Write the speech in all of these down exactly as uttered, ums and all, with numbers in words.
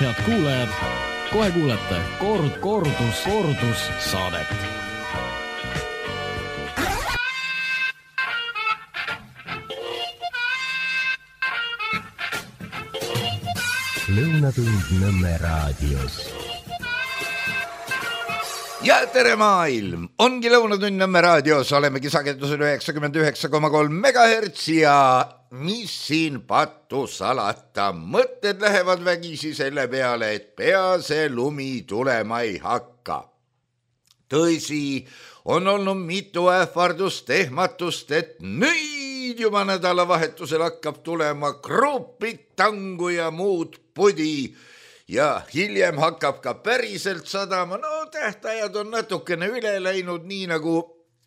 head kuulajad, kohe kuulete kord, kordus, kordus saadet. Lõunatund Nõmme raadios. Ja tere maailm, ongi Lõunatund Nõmme raadios, olemegi sagedusel üheksakümmend üheksa koma kolm megahertsi ja mis siin pattu salata, mõtted lähevad vägisi selle peale, et pea see lumi tulema ei hakka. Tõsi, on olnud mitu ähvardust, ehmatust, et nüüd juba nädalavahetusel hakkab tulema krupid, tangu ja muud pudi ja hiljem hakkab ka päriselt sadama. No tähtajad on natukene üle läinud, nii nagu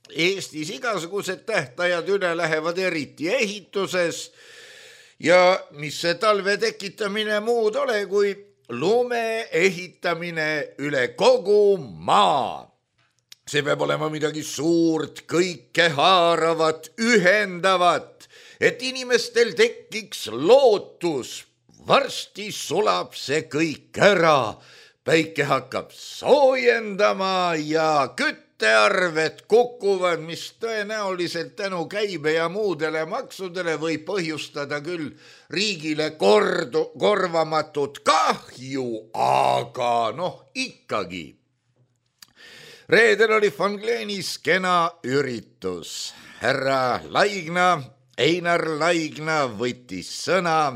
Eestis igasugused tähtajad üle lähevad, eriti ehituses. Ja mis see talve tekitamine muud ole, kui lume ehitamine üle kogu maa. See peab olema midagi suurt, kõike haaravat, ühendavat, et inimestel tekiks lootus. Varsti sulab see kõik ära, päike hakkab soojendama ja küttearved kukuvad, mis tõenäoliselt tänu käibe ja muudele maksudele võib põhjustada küll riigile kordu, korvamatut kahju, aga noh ikkagi. Reedel oli Von Gleenis kena üritus. Härra Laigna, Einar Laigna võttis sõna,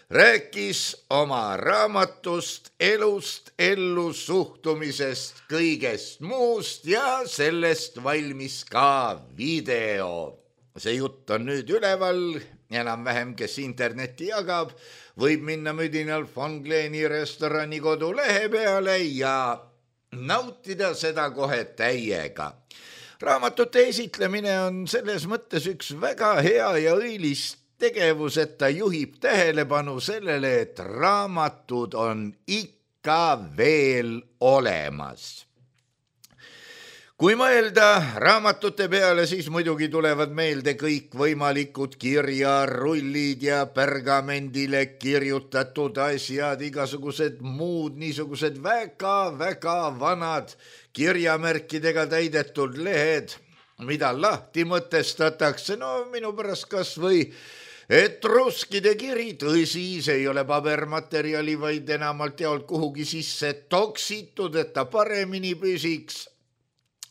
rääkis oma raamatust, elust, ellu suhtumisest, kõigest muust ja sellest valmis ka video. See jutt on nüüd üleval, enam-vähem kes interneti jagab, võib minna müdinal Von Gleeni restorani kodulehe peale ja nautida seda kohe täiega. Raamatute esitlemine on selles mõttes üks väga hea ja õilist tegevus, et ta juhib tähelepanu sellele, et raamatud on ikka veel olemas. Kui mõelda raamatute peale, siis muidugi tulevad meelde kõik võimalikud kirjarullid ja pergamendile kirjutatud asjad, igasugused muud niisugused väga-väga vanad kirjamärkidega täidetud lehed, mida lahti mõtestatakse, no minu pärast kas või etruskide kiri, tõsi, see ei ole pabermaterjali, vaid enamalt jaolt kuhugi sisse toksitud, et ta paremini püsiks.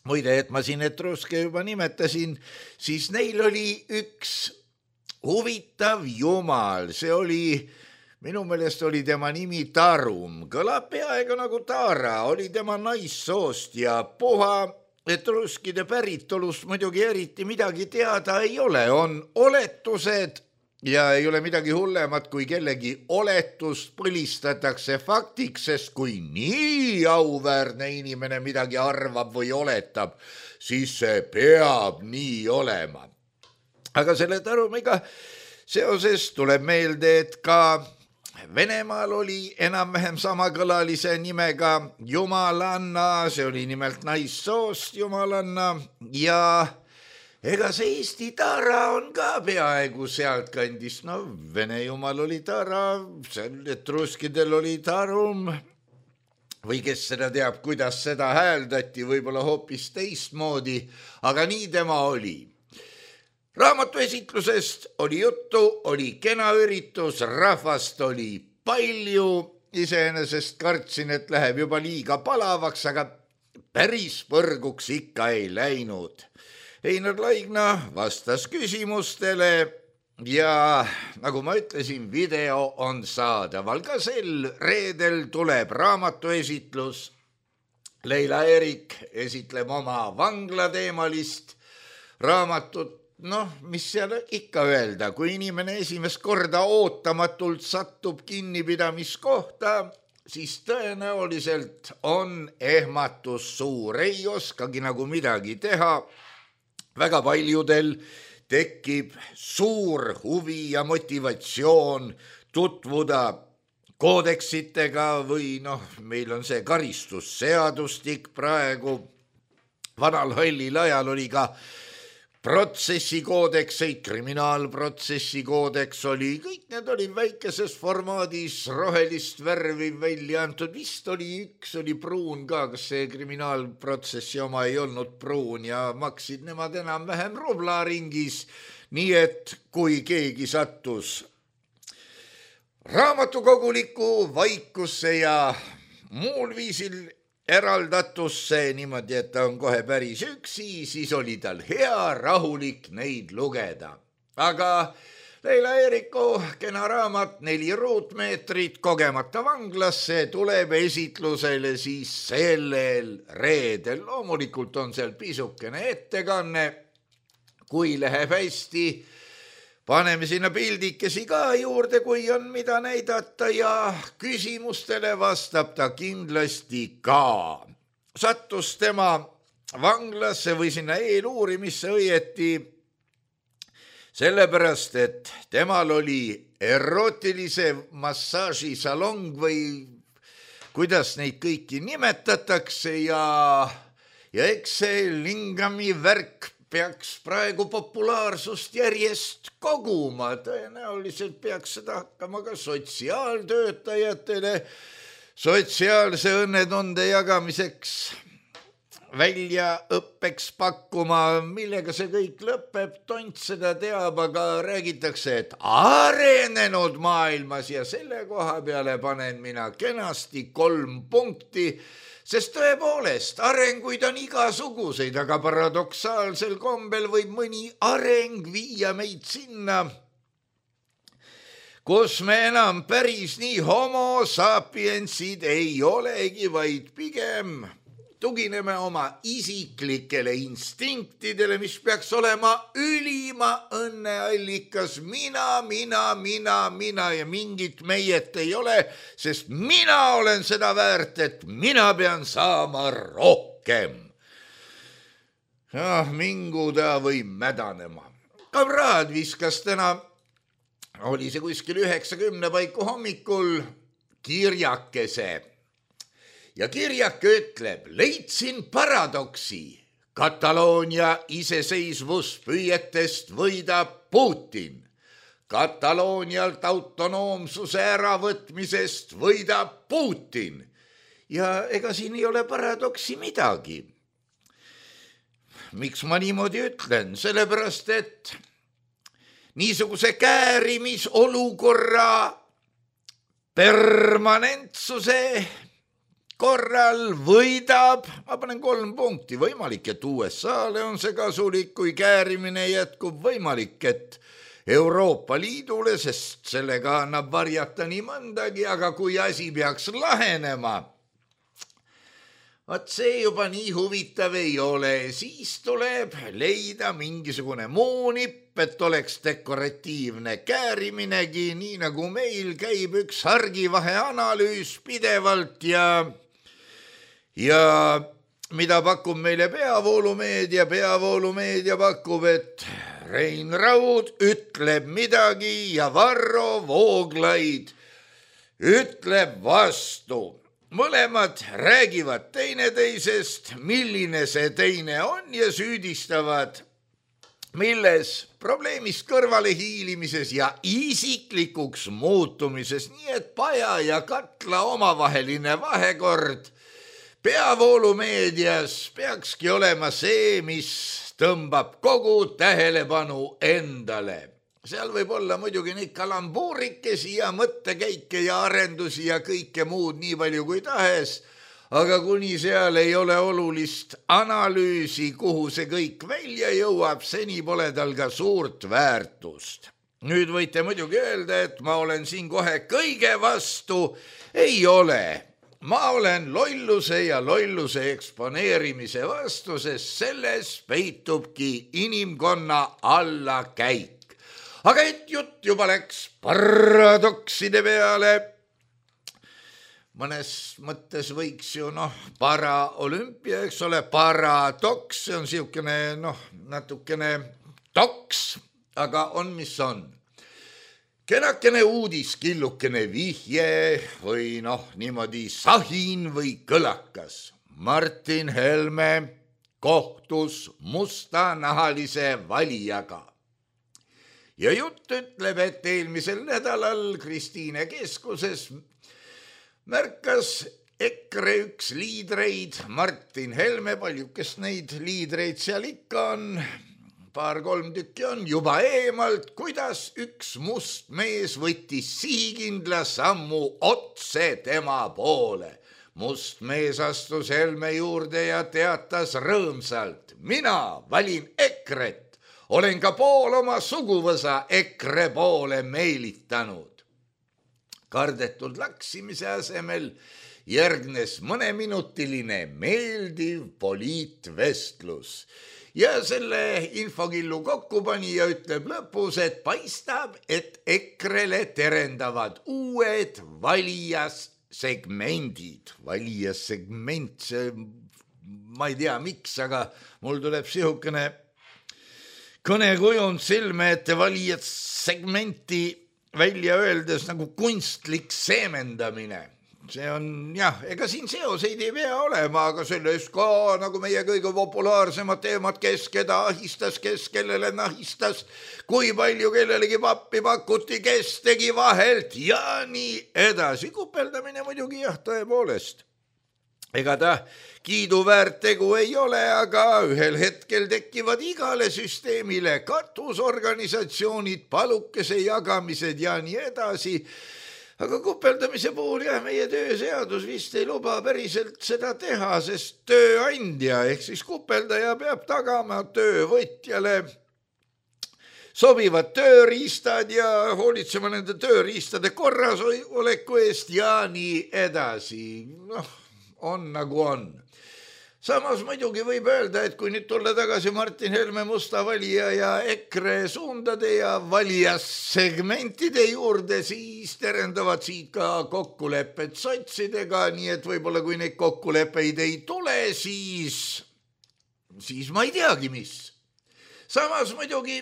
Muide, et ma siin etruske juba nimetasin, siis neil oli üks huvitav jumal, see oli, minu meelest oli tema nimi Tarum, kõlab peaaegu nagu Taara, oli tema naissoost ja puha. Etruskide päritolust muidugi eriti midagi teada ei ole, on oletused ja ei ole midagi hullemat, kui kellegi oletust põlistatakse faktiks, sest kui nii auväärne inimene midagi arvab või oletab, siis see peab nii olema. Aga selle Tarumiga seoses tuleb meelde, et ka Venemaal oli enam-vähem samakõlalise nimega Jumalanna, see oli nimelt naissoost Jumalanna ja ega see Eesti Tara on ka peaaegu sealt kandis, no Vene jumal oli Tara, etruskidel oli Tarum või kes seda teab, kuidas seda hääldati, võib-olla hoopis teistmoodi, aga nii tema oli. Raamatu esitlusest oli juttu, oli kena üritus, rahvast oli palju, iseenesest kartsin, et läheb juba liiga palavaks, aga päris põrguks ikka ei läinud. Einar Laigna vastas küsimustele ja nagu ma ütlesin, video on saadaval. Ka sel reedel tuleb raamatu esitlus. Leila Erik esitleb oma vanglateemalist raamatut. Noh, mis seal ikka öelda, kui inimene esimest korda ootamatult satub kinnipidamiskohta, siis tõenäoliselt on ehmatus suur, ei oskagi nagu midagi teha. Väga paljudel tekib suur huvi ja motivatsioon tutvuda koodeksitega või noh, meil on see karistusseadustik praegu. Vanal hallil ajal oli ka protsessikoodekseid, kriminaalprotsessi koodeks oli, kõik need oli väikeses formaadis rohelist värvi välja antud, vist oli üks, oli pruun ka, kas see kriminaalprotsessi oma ei olnud pruun ja maksid nemad enam-vähem rubla ringis, nii et kui keegi sattus raamatukoguliku vaikusse ja muul viisil eraldatusse niimoodi, et ta on kohe päris üksi, siis oli tal hea rahulik neid lugeda. Aga Leila Eeriku kena raamat Neli ruutmeetrit kogemata vanglasse tuleb esitlusele siis sellel reedel. Loomulikult on seal pisukene ettekanne, kui läheb hästi. Paneme sinna pildikesi ka juurde, kui on mida näidata ja küsimustele vastab ta kindlasti ka. Sattus tema vanglasse või sinna eeluurimisse õieti sellepärast, et temal oli erootilise massaažisalong või kuidas neid kõiki nimetatakse ja, ja eks see lingami värk peaks praegu populaarsust järjest koguma, tõenäoliselt peaks seda hakkama ka sotsiaaltöötajatele sotsiaalse õnnetunde jagamiseks väljaõppeks pakkuma, millega see kõik lõpeb, tont seda teab, aga räägitakse, et arenenud maailmas ja selle koha peale panen mina kenasti kolm punkti, sest tõepoolest arenguid on igasuguseid, aga paradoksaalsel kombel võib mõni areng viia meid sinna, kus me enam päris nii homo sapiensid ei olegi, vaid pigem tugineme oma isiklikele instinktidele, mis peaks olema ülima õnneallikas. Mina, mina, mina, mina ja mingit meiet ei ole, sest mina olen seda väärt, et mina pean saama rohkem. Ah, mingu ta või mädanema. Kamraad viskas täna, oli see kuskil üheksakümne paiku hommikul, kirjakese. Ja kirjake ütleb, leidsin paradoksi. Kataloonia iseseisvuspüüetest võidab Putin. Kataloonialt autonoomsuse äravõtmisest võidab Putin. Ja ega siin ei ole paradoksi midagi. Miks ma niimoodi ütlen? Sellepärast, et niisuguse käärimiolukorra permanentsuse korral võidab, ma panen kolm punkti, võimalik, et U S A-le on see kasulik, kui käärimine jätkub, võimalik, et Euroopa Liidule, sest sellega annab varjata nii mõndagi, aga kui asi peaks lahenema, vaat see juba nii huvitav ei ole, siis tuleb leida mingisugune muu nipp, et oleks dekoratiivne kääriminegi, nii nagu meil käib üks hargivahe analüüs pidevalt ja Ja mida pakub meile peavoolumeedia? Peavoolumeedia pakub, et Rein Raud ütleb midagi ja Varro Vooglaid ütleb vastu. Mõlemad räägivad teineteisest, milline see teine on ja süüdistavad, milles probleemist kõrvale hiilimises ja isiklikuks muutumises, nii et paja ja katla omavaheline vahekord peavoolumeedias peakski olema see, mis tõmbab kogu tähelepanu endale. Seal võib olla muidugi neid kalambuurikesi ja mõttekäike ja arendusi ja kõike muud nii palju kui tahes, aga kuni seal ei ole olulist analüüsi, kuhu see kõik välja jõuab, seni pole tal ka suurt väärtust. Nüüd võite muidugi öelda, et ma olen siin kohe kõige vastu, ei ole. Ma olen lolluse ja lolluse eksponeerimise vastu, sest selles peitubki inimkonna allakäik. Aga et jutt juba läks paradokside peale. Mõnes mõttes võiks ju noh, paraolümpia, eks ole, paradoks, see on siukene noh, natukene toks, aga on mis on. Kenakene uudis, killukene vihje või noh, niimoodi sahin või kõlakas. Martin Helme kohtus mustanahalise valijaga. Ja jutt ütleb, et eelmisel nädalal Kristiine keskuses märkas EKRE üks liidreid, Martin Helme, paljukest neid liidreid seal ikka on, paar-kolm tükki on juba eemalt, kuidas üks must mees võttis sihikindla sammu otse tema poole. Must mees astus Helme juurde ja teatas rõõmsalt: mina valin EKRE-t, olen ka pool oma suguvõsa EKRE poole meelitanud. Kardetud laksimise asemel järgnes mõneminutiline meeldiv poliitvestlus. Ja selle infokillu kokkupanija ütleb lõpus, et paistab, et EKRE-le terendavad uued valijasegmendid. Valijasegment, see, ma ei tea miks, aga mul tuleb sihukene kõnekujund silme ette valijasegmenti välja öeldes nagu kunstlik seemendamine. See on jah, ega siin seoseid ei pea olema, aga selles ka nagu meie kõige populaarsemad teemad, kes keda ahistas, kes kellele nahistas, kui palju kellelegi pappi pakuti, kes tegi vahelt ja nii edasi. Kupeldamine muidugi jah, tõepoolest. Ega ta kiiduväärt tegu ei ole, aga ühel hetkel tekivad igale süsteemile katusorganisatsioonid, palukese jagamised ja nii edasi. Aga kupeldamise puhul jah, meie tööseadus vist ei luba päriselt seda teha, sest tööandja ehk siis kupeldaja peab tagama töövõtjale sobivad tööriistad ja hoolitsema nende tööriistade korras oleku eest ja nii edasi. Noh, on nagu on. Samas muidugi võib öelda, et kui nüüd tulla tagasi Martin Helme musta valija ja EKRE suundade ja valijasegmentide juurde, siis terendavad siit ka kokkulepped sotsidega, nii et võib-olla kui neid kokkuleppeid ei tule, siis, siis ma ei teagi mis. Samas muidugi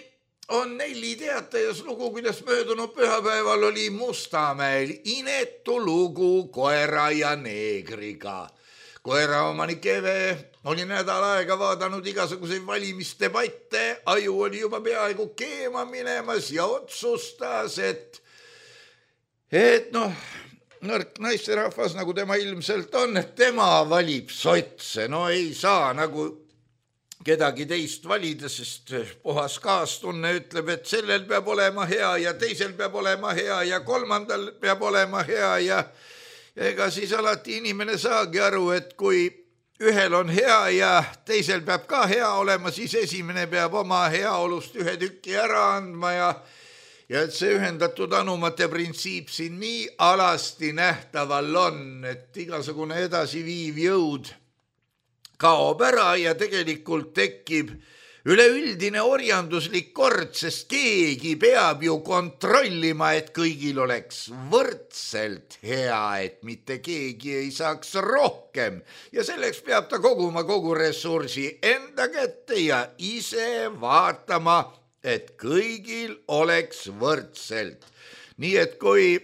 on Nelli Teatajas lugu, kuidas möödunud pühapäeval oli Mustamäel inetu lugu koera ja neegriga. Koeraomanik Eve oli nädal aega vaadanud igasuguseid valimisdebatte, aju oli juba peaaegu keema minemas ja otsustas, et, et noh, nõrk naisterahvas, nagu tema ilmselt on, et tema valib sotse. No ei saa nagu kedagi teist valida, sest puhas kaastunne ütleb, et sellel peab olema hea ja teisel peab olema hea ja kolmandal peab olema hea ja ega siis alati inimene saagi aru, et kui ühel on hea ja teisel peab ka hea olema, siis esimene peab oma heaolust ühe tükki ära andma ja, ja et see ühendatud anumate printsiip siin nii alasti nähtaval on, et igasugune edasiviiv jõud kaob ära ja tegelikult tekib üleüldine orjanduslik kord, sest keegi peab ju kontrollima, et kõigil oleks võrdselt hea, et mitte keegi ei saaks rohkem. Ja selleks peab ta koguma kogu ressursi enda kätte ja ise vaatama, et kõigil oleks võrdselt. Nii et kui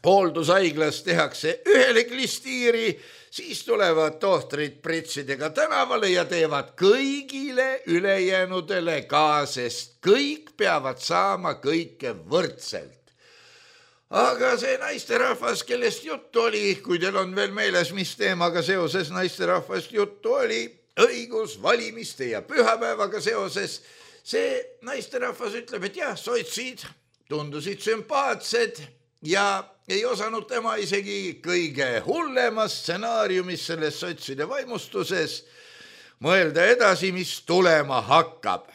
hooldushaiglas tehakse ühele klistiiri, siis tulevad tohtrid pritsidega tänavale ja teevad kõigile ülejäänudele ka, sest kõik peavad saama kõike võrdselt. Aga see naisterahvas, kellest juttu oli, kui teil on veel meeles, mis teemaga seoses naisterahvast juttu oli, õigus, valimiste ja pühapäevaga seoses, see naisterahvas ütleb, et jah, sotsid tundusid sümpaatsed ja ei osanud tema isegi kõige hullemas stsenaariumis selles sotside vaimustuses mõelda edasi, mis tulema hakkab.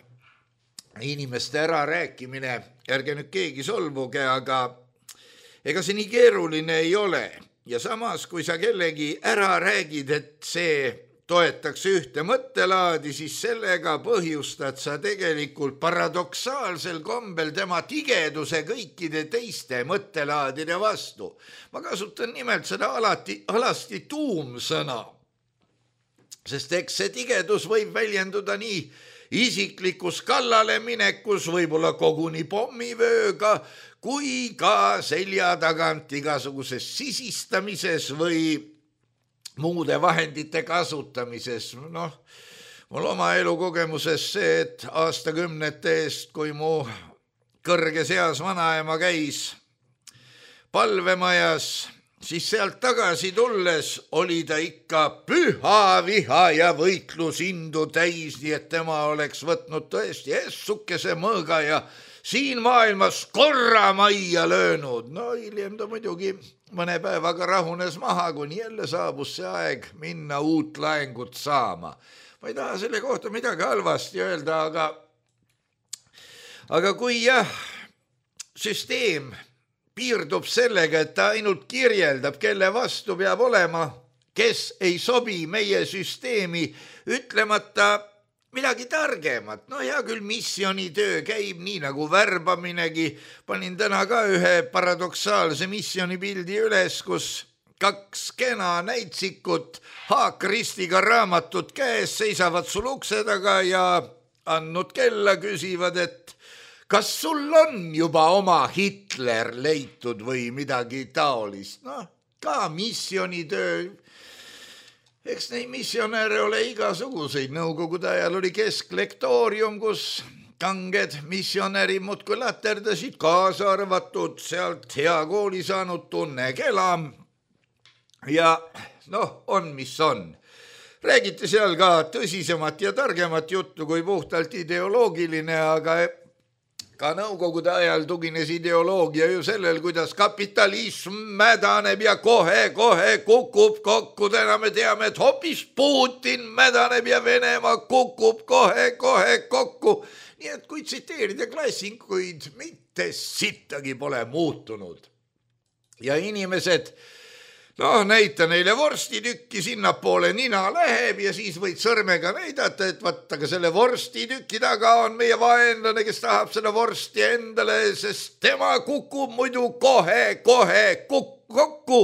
Inimeste ära rääkimine, ärge nüüd keegi solvuge, aga ega see nii keeruline ei ole. Ja samas, kui sa kellegi ära räägid, et see toetaks ühte mõttelaadi, siis sellega põhjustad sa tegelikult paradoksaalsel kombel tema tigeduse kõikide teiste mõttelaadide vastu. Ma kasutan nimelt seda alati, alasti tuumsõna, sest eks see tigedus võib väljenduda nii isiklikus kallale minekus, võib-olla koguni pommivööga, kui ka selja tagant igasuguses sisistamises või muude vahendite kasutamises. Noh, mul oma elukogemuses see, et aastakümnete eest, kui mu kõrges eas vanaema käis palvemajas, siis sealt tagasi tulles oli ta ikka püha viha ja võitlusindu täis, nii et tema oleks võtnud tõesti essukese mõõga ja siin maailmas korra majja löönud. No hiljem ta muidugi mõne päevaga rahunes maha, kuni jälle saabus see aeg minna uut laengut saama. Ma ei taha selle kohta midagi halvasti öelda, aga, aga kui jah, süsteem piirdub sellega, et ta ainult kirjeldab, kelle vastu peab olema, kes ei sobi meie süsteemi, ütlemata midagi targemat. No hea küll, missionitöö käib nii nagu värbaminegi. Panin täna ka ühe paradoksaalse missionipildi üles, kus kaks kena näitsikut haakristiga raamatut käes seisavad sul ukse taga ja andnud kella küsivad, et kas sul on juba oma Hitler leitud või midagi taolist? Noh, ka missionitöö. Eks neid missionäre ole igasuguseid. Nõukogude ajal oli kesklektoorium, kus kanged missionärid muudkui laterdasid, kaasa arvatud sealt hea kooli saanud Tunne Kelam. Ja noh, on mis on. Räägiti seal ka tõsisemat ja targemat juttu kui puhtalt ideoloogiline, aga ka nõukogude ajal tugines ideoloogia ju sellel, kuidas kapitalism mädaneb ja kohe-kohe kukub kokku. Täna me teame, et hoopis Putin mädaneb ja Venemaa kukub kohe-kohe kokku. Nii et kui tsiteerida klassikuid, mitte sittagi pole muutunud. Ja inimesed, noh, näita neile vorstitükki, sinnapoole nina läheb ja siis võid sõrmega näidata, et vaata, aga selle vorstitüki taga on meie vaenlane, kes tahab selle vorsti endale, sest tema kukub muidu kohe-kohe kokku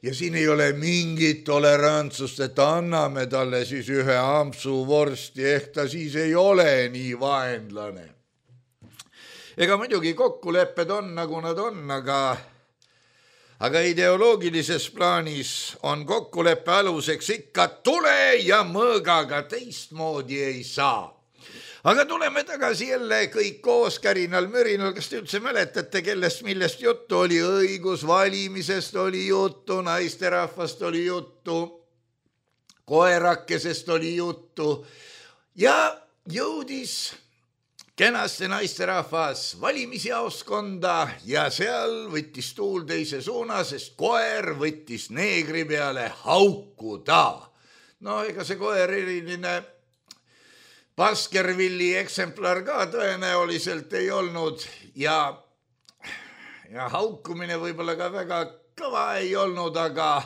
ja siin ei ole mingit tolerantsust, et anname talle siis ühe ampsu vorsti, ehk ta siis ei ole nii vaenlane. Ega muidugi kokkulepped on nagu nad on, aga Aga ideoloogilises plaanis on kokkuleppe aluseks ikka tule ja mõõgaga, teistmoodi ei saa. Aga tuleme tagasi jälle kõik koos kärinal mürinal. Kas te üldse mäletate, kellest millest juttu oli? Õigus valimisest oli juttu, naisterahvast oli juttu, koerakesest oli juttu ja jõudis kenasti naisterahvas valimisjaoskonda ja seal võttis tuul teise suuna, sest koer võttis neegri peale haukuda. No ega see koer eriline Baskervilli eksemplar ka tõenäoliselt ei olnud ja, ja haukumine võib-olla ka väga kõva ei olnud, aga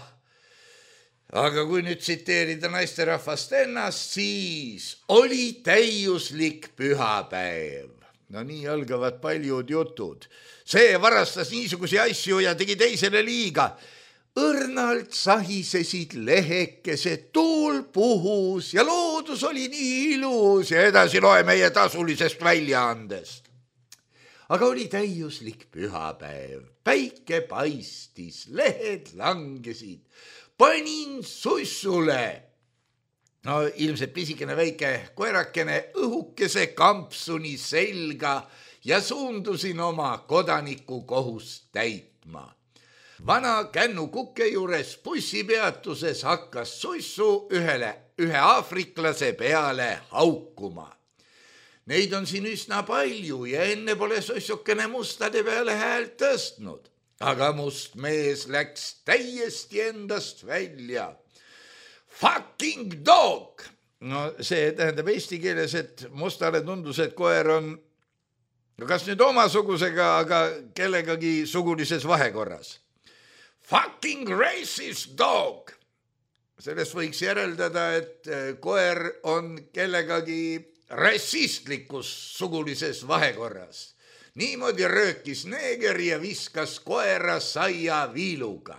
Aga kui nüüd tsiteerida naisterahvast ennast, siis oli täiuslik pühapäev. No nii algavad paljud jutud. See varastas niisugusi asju ja tegi teisele liiga. Õrnalt sahisesid lehekesed, tuul puhus ja loodus oli nii ilus ja edasi loe meie tasulisest väljaandest. Aga oli täiuslik pühapäev, päike paistis, lehed langesid. Panin sussule. No ilmselt pisikene väike koerakene õhukese kampsuni selga ja suundusin oma kodaniku kohust täitma. Vana kännu kukke juures bussipeatuses hakkas sussu ühele, ühe aafriklase peale haukuma. Neid on siin üsna palju ja enne pole sussukene mustade peale häält tõstnud. Aga must mees läks täiesti endast välja. Fucking dog! No see tähendab eesti keeles, et mustale tundus, et koer on kas nüüd omasugusega, aga kellegagi sugulises vahekorras. Fucking racist dog! Sellest võiks järeldada, et koer on kellegagi rassistlikus sugulises vahekorras. Niimoodi röökis neeger ja viskas koera saia viiluga.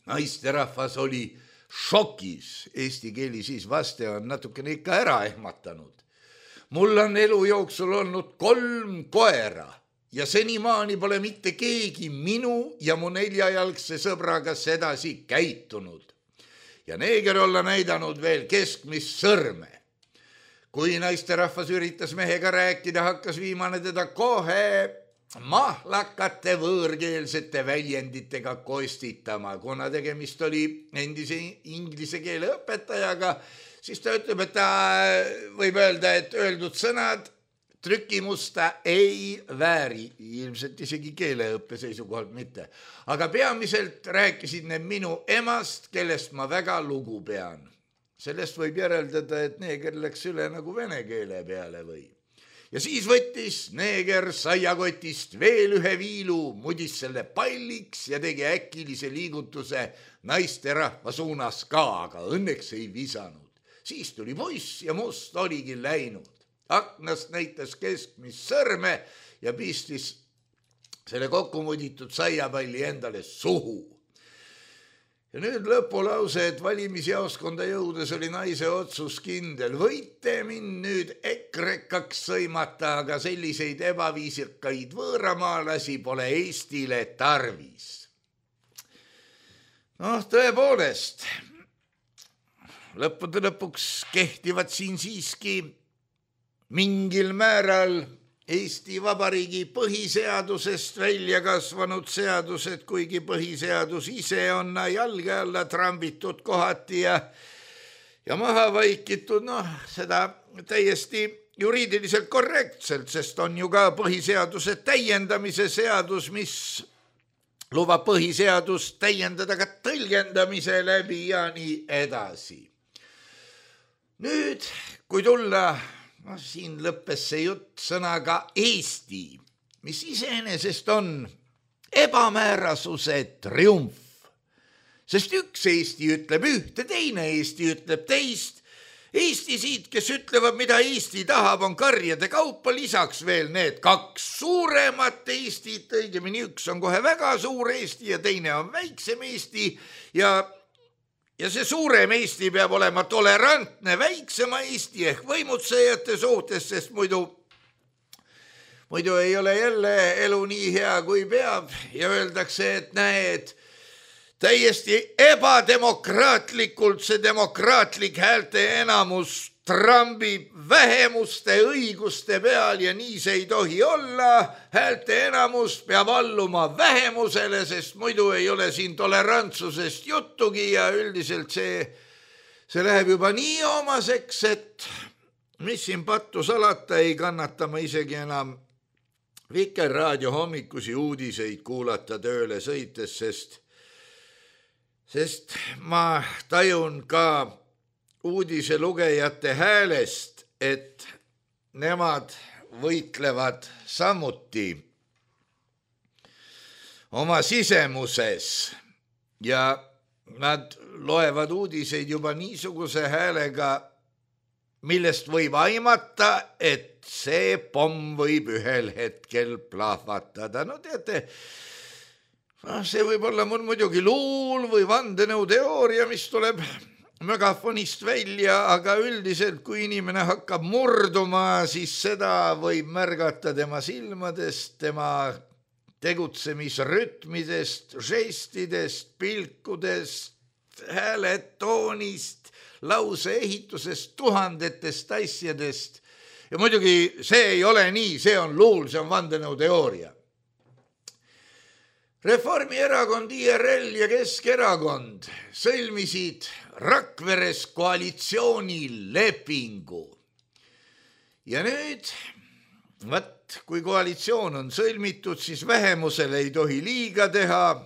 Naisterahvas oli šokis. Eesti keeli siis vaste on natukene ikka ära ehmatanud. Mul on elu jooksul olnud kolm koera ja senimaani pole mitte keegi minu ja mu neljajalgse sõbraga sedasi käitunud. Ja neeger olla näidanud veel keskmist sõrme. kui naisterahvas üritas mehega rääkida, hakkas viimane teda kohe mahlakate võõrkeelsete väljenditega kostitama. Kuna tegemist oli endise inglise keele õpetajaga, siis ta ütleb, et ta võib öelda, et öeldud sõnad trükimusta ei vääri, ilmselt isegi keeleõppe seisukohalt mitte. Aga peamiselt rääkisid need minu emast, kellest ma väga lugu pean. Sellest võib järeldada, et neeger läks üle nagu vene keele peale või. Ja siis võttis neeger saiakotist veel ühe viilu, mudis selle palliks ja tegi äkilise liigutuse naisterahva suunas ka, aga õnneks ei visanud. Siis tuli poiss ja must oligi läinud. Aknast näitas keskmist sõrme ja pistis selle kokkumuditud saiapalli endale suhu. Ja nüüd lõpulause, et valimisjaoskonda jõudes oli naise otsus kindel. Võite mind nüüd ekrekaks sõimata, aga selliseid ebaviisikaid võõramaalasi pole Eestile tarvis. Noh, tõepoolest, lõppude lõpuks kehtivad siin siiski mingil määral Eesti Vabariigi põhiseadusest välja kasvanud seadused, kuigi põhiseadus ise on jalge alla trambitud kohati ja, ja maha vaikitud, noh, seda täiesti juriidiliselt korrektselt, sest on ju ka põhiseaduse täiendamise seadus, mis lubab põhiseadust täiendada ka tõlgendamise läbi ja nii edasi. Nüüd, kui tulla No, siin lõppes see jutt sõnaga Eesti, mis iseenesest on ebamäärasuse triumf. Sest üks Eesti ütleb ühte, teine Eesti ütleb teist. Eesti siit, kes ütlevad, mida Eesti tahab, on karjade kaupa, lisaks veel need kaks suuremat Eestit, õigemini üks on kohe väga suur Eesti ja teine on väiksem Eesti ja Ja see suurem Eesti peab olema tolerantne väiksema Eesti ehk võimutsejate suhtes, sest muidu, muidu ei ole jälle elu nii hea, kui peab ja öeldakse, et näed, täiesti ebademokraatlikult see demokraatlik häälte enamus trambib vähemuste õiguste peal ja nii see ei tohi olla. Häälte enamus peab alluma vähemusele, sest muidu ei ole siin tolerantsusest juttugi ja üldiselt see, see läheb juba nii omaseks, et mis siin pattu salata, ei kannata ma isegi enam Vikerraadio hommikusi uudiseid kuulata tööle sõites, sest, sest ma tajun ka uudise lugejate häälest, et nemad võitlevad samuti oma sisemuses ja nad loevad uudiseid juba niisuguse häälega, millest võib aimata, et see pomm võib ühel hetkel plahvatada. No teate, no see võib olla mul muidugi luul või vandenõuteooria, mis tuleb megafonist välja, aga üldiselt, kui inimene hakkab murduma, siis seda võib märgata tema silmadest, tema tegutsemisrütmidest, žestidest, pilkudest, hääletoonist, lauseehitusest, tuhandetest asjadest. Ja muidugi see ei ole nii, see on luul, see on vandenõuteooria. Reformierakond, I R L ja Keskerakond sõlmisid Rakveres koalitsioonilepingu. Ja nüüd, võt, kui koalitsioon on sõlmitud, siis vähemusele ei tohi liiga teha.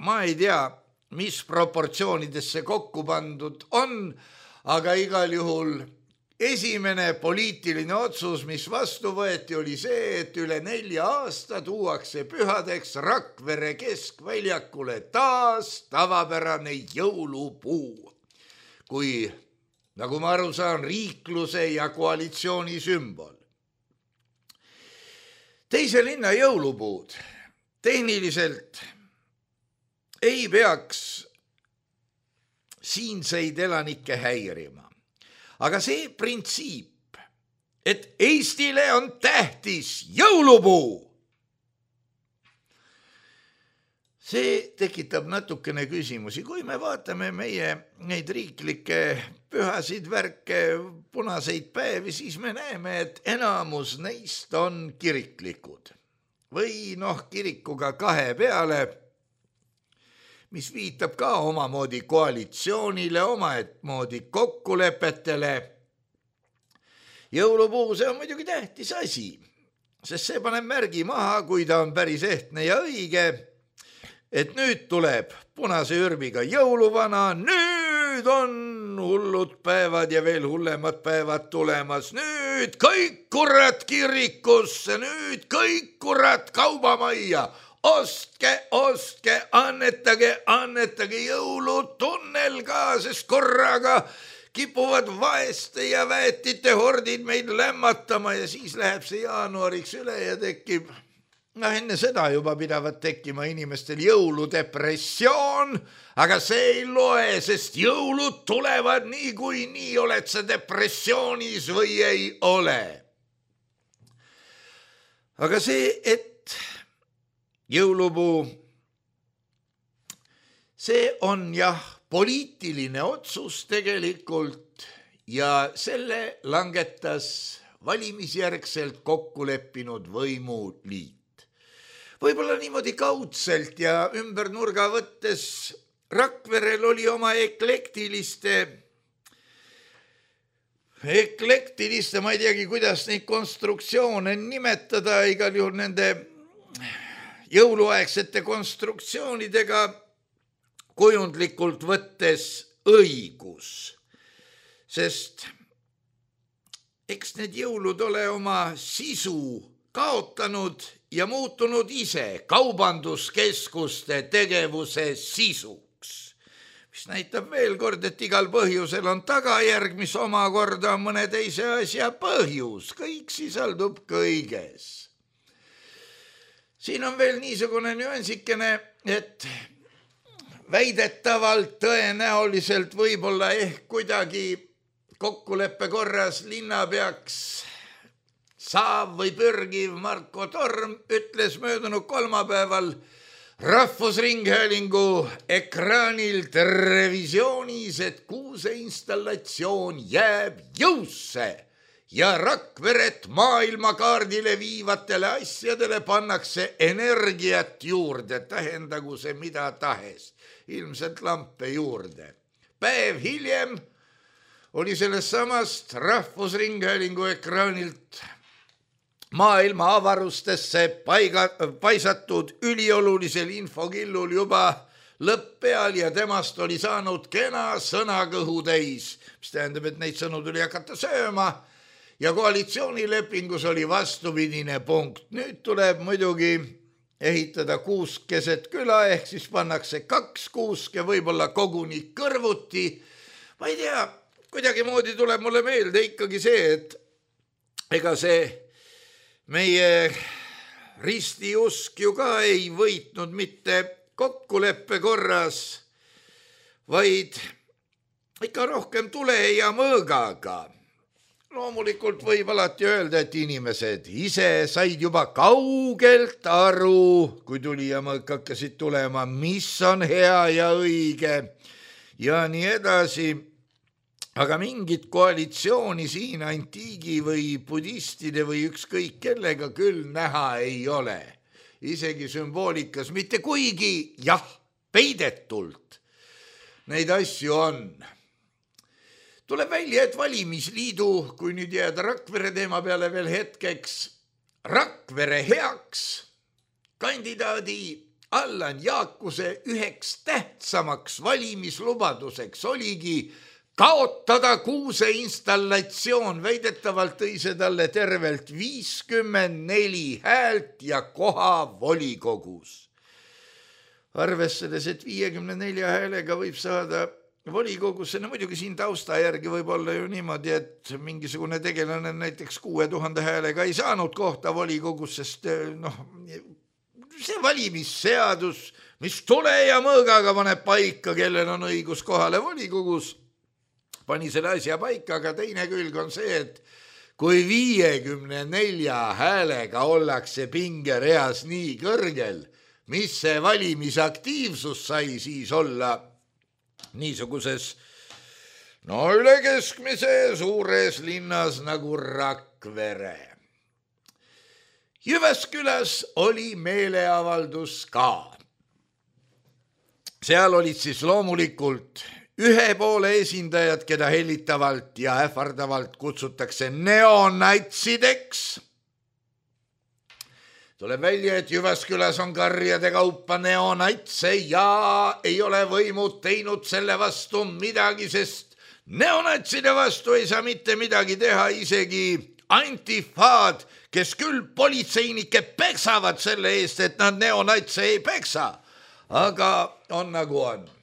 Ma ei tea, mis proportsioonidesse kokku pandud on, aga igal juhul esimene poliitiline otsus, mis vastu võeti, oli see, et üle nelja aasta tuuakse pühadeks Rakvere keskväljakule taas tavapärane jõulupuu, kui, nagu ma aru saan, riikluse ja koalitsiooni sümbol. Teise linna jõulupuud tehniliselt ei peaks siinseid elanikke häirima. Aga see printsiip, et Eestile on tähtis jõulupuu, see tekitab natukene küsimusi, kui me vaatame meie neid riiklikke pühasid värke, punaseid päevi, siis me näeme, et enamus neist on kiriklikud või noh, kirikuga kahe peale, mis viitab ka omamoodi koalitsioonile, omamoodi kokkulepetele. Jõulupuu, see on muidugi tähtis asi, sest see paneb märgi maha, kui ta on päris ehtne ja õige, et nüüd tuleb punase ürbiga jõuluvana, nüüd on hullud päevad ja veel hullemad päevad tulemas, nüüd kõik kurat kirikusse, nüüd kõik kurat kaubamajja, ostke, ostke, annetage, annetage jõulutunnel ka, sest korraga kipuvad vaeste ja väetite hordid meid lämmatama ja siis läheb see jaanuariks üle ja tekib, noh enne seda juba pidavat tekkima inimestel jõuludepressioon, aga see ei loe, sest jõulud tulevad nii kui nii, oled sa depressioonis või ei ole. Aga see, et jõulupuu, see on jah, poliitiline otsus tegelikult ja selle langetas valimisjärgselt kokku leppinud võimuliit. Võib-olla niimoodi kaudselt ja ümber nurga võttes Rakverel oli oma eklektiliste, eklektiliste, ma ei teagi, kuidas neid konstruktsioone nimetada, igal juhul nende jõuluaegsete konstruktsioonidega kujundlikult võttes õigus, sest eks need jõulud ole oma sisu kaotanud ja muutunud ise kaubanduskeskuste tegevuse sisuks, mis näitab veel kord, et igal põhjusel on tagajärg, mis omakorda on mõne teise asja põhjus, kõik sisaldub kõiges. Siin on veel niisugune nüansikene, et väidetavalt tõenäoliselt võib-olla ehk kuidagi kokkuleppe korras linnapeaks saav või pürgiv Marko Torm ütles möödunud kolmapäeval Rahvusringhäälingu ekraanil televisioonis, et kuuse installatsioon jääb jõusse ja Rakveret maailmakaardile viivatele asjadele pannakse energiat juurde, tähendagu see mida tahes. Ilmselt lampe juurde. Päev hiljem oli sellest samast Rahvusringhäälingu ekraanilt maailma avarustesse paiga, paisatud üliolulisel infokillul juba lõpp peal ja temast oli saanud kena sõnakõhu täis, mis tähendab, et neid sõnu tuli hakata sööma ja koalitsioonilepingus oli vastupidine punkt. Nüüd tuleb muidugi ehitada kuusk keset küla, ehk siis pannakse kaks kuuske, võib-olla koguni kõrvuti. Ma ei tea, kuidagi moodi tuleb mulle meelde ikkagi see, et ega see meie ristiusk ju ka ei võitnud mitte kokkuleppe korras, vaid ikka rohkem tule ja mõõgaga. Loomulikult võib alati öelda, et inimesed ise said juba kaugelt aru, kui tuli ja mõõk hakkasid tulema, mis on hea ja õige ja nii edasi. Aga mingit koalitsiooni siin antiigi või budistide või ükskõik kellega küll näha ei ole. Isegi sümboolikas mitte kuigi, jah, peidetult neid asju on. Tuleb välja, et valimisliidu, kui nüüd jääda Rakvere teema peale veel hetkeks, Rakvere heaks kandidaadi Allan Jaakuse üheks tähtsamaks valimislubaduseks oligi kaotada kuuse installatsioon, väidetavalt tõi see talle tervelt viiskümmend neli häält ja koha volikogus. Arvestades, et viiekümne nelja häälega võib saada volikogusse, no muidugi siin tausta järgi võib olla ju niimoodi, et mingisugune tegelane näiteks kuue tuhande häälega ei saanud kohta volikogus, sest noh, see valimisseadus, mis tule ja mõõgaga paneb paika, kellel on õigus kohale volikogus, pani selle asja paika, aga teine külg on see, et kui viiekümne nelja häälega ollakse pingereas nii kõrgel, mis see valimisaktiivsus sai siis olla niisuguses no üle keskmise suures linnas nagu Rakvere. Jyväskyläs oli meeleavaldus ka. Seal olid siis loomulikult ühe poole esindajad, keda hellitavalt ja ähvardavalt kutsutakse neonatsideks. Tuleb välja, et Jyväskyläs on karjade kaupa neonatse ja ei ole võimud teinud selle vastu midagi, sest neonatside vastu ei saa mitte midagi teha isegi antifaad, kes küll politseinike peksavad selle eest, et nad neonatse ei peksa, aga on nagu on.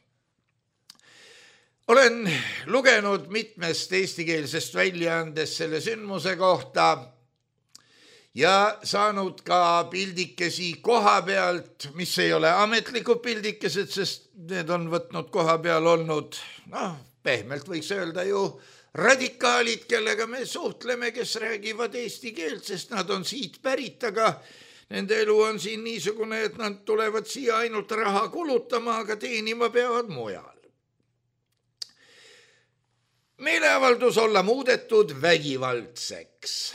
Olen lugenud mitmest eestikeelsest väljaandest selle sündmuse kohta ja saanud ka pildikesi koha pealt, mis ei ole ametlikud pildikesed, sest need on võtnud koha peal olnud, noh, pehmelt võiks öelda ju radikaalid, kellega me suhtleme, kes räägivad eesti keelt, sest nad on siit pärit, aga nende elu on siin niisugune, et nad tulevad siia ainult raha kulutama, aga teenima peavad mujal. Meeleavaldus olla muudetud vägivaldseks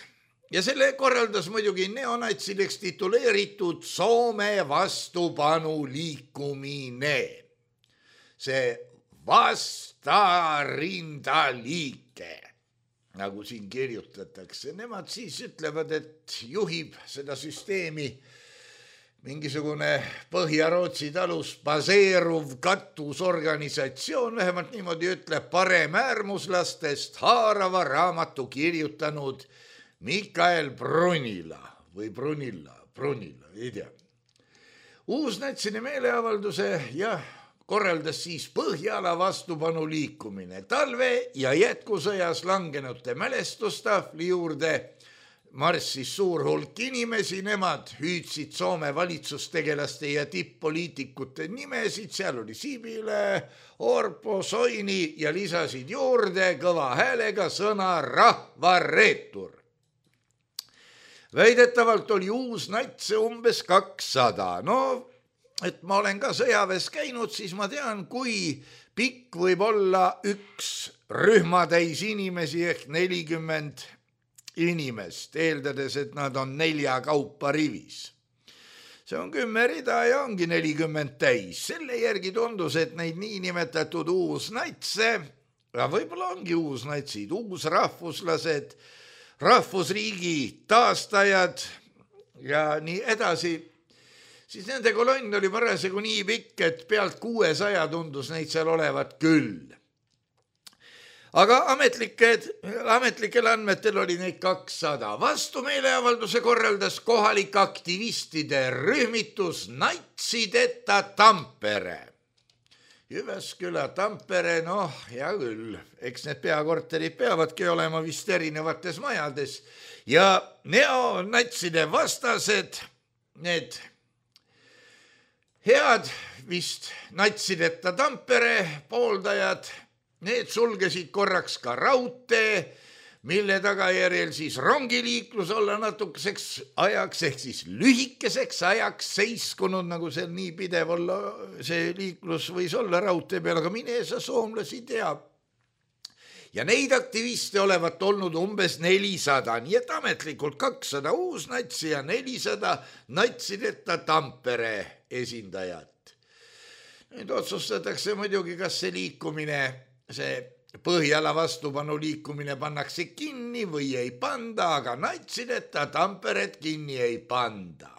ja selle korraldas muidugi neonatsideks tituleeritud Soome vastupanu liikumine. See vastarindaliike, nagu siin kirjutatakse, nemad siis ütlevad, et juhib seda süsteemi mingisugune Põhja-Rootsi talus baseeruv kattusorganisatsioon, vähemalt niimoodi ütleb paremäärmuslastest haarava raamatu kirjutanud Mikael Brunila või Brunilla, Brunilla, ei tea. Uusnatsine meeleavalduse ja korraldas siis Põhjala vastupanu liikumine. Talve ja jätkusõjas langenute mälestustahvli juurde marssis suur hulk inimesi, nemad hüüdsid Soome valitsustegelaste ja tipp-poliitikute nimesid, seal oli Sibile, Orpo, Soini ja lisasid juurde kõva häälega sõna rahvareetur. Väidetavalt oli uusnatse umbes kakssada. No, et ma olen ka sõjaväes käinud, siis ma tean, kui pikk võib olla üks rühmatäis inimesi ehk nelikümmend inimest, eeldades, et nad on nelja kaupa rivis. See on kümme rida ja ongi nelikümmend täis. Selle järgi tundus, et neid niinimetatud uusnatse, ja võib-olla ongi uusnatsid, uusrahvuslased, rahvusriigi taastajad ja nii edasi, siis nende kolonn oli parasjagu nii pikk, et pealt kuuesaja tundus neid seal olevat küll. Aga ametlikel, ametlikel andmetel oli neid kakssada. Vastu meeleavalduse korraldas kohalik aktivistide rühmitus Natsideta Tampere. Jyväskylä, Tampere, noh, hea küll. Eks need peakorterid peavadki olema vist erinevates majades. Ja neonatside vastased, need head vist Natsideta Tampere pooldajad, need sulgesid korraks ka raudtee, mille tagajärjel siis rongiliiklus olla natukeseks ajaks, ehk siis lühikeseks ajaks seiskunud, nagu seal nii pidev olla, see liiklus võis olla raudtee peal, aga mine sa soomlasi teab. Ja neid aktiviste olevat olnud umbes nelisada, nii et ametlikult kakssada uusnatsi ja nelisada Natsideta Tampere esindajat. Nüüd otsustatakse muidugi, kas see liikumine, see Põhjala vastupanu liikumine pannakse kinni või ei panda, aga Natsideta Tamperet kinni ei panda.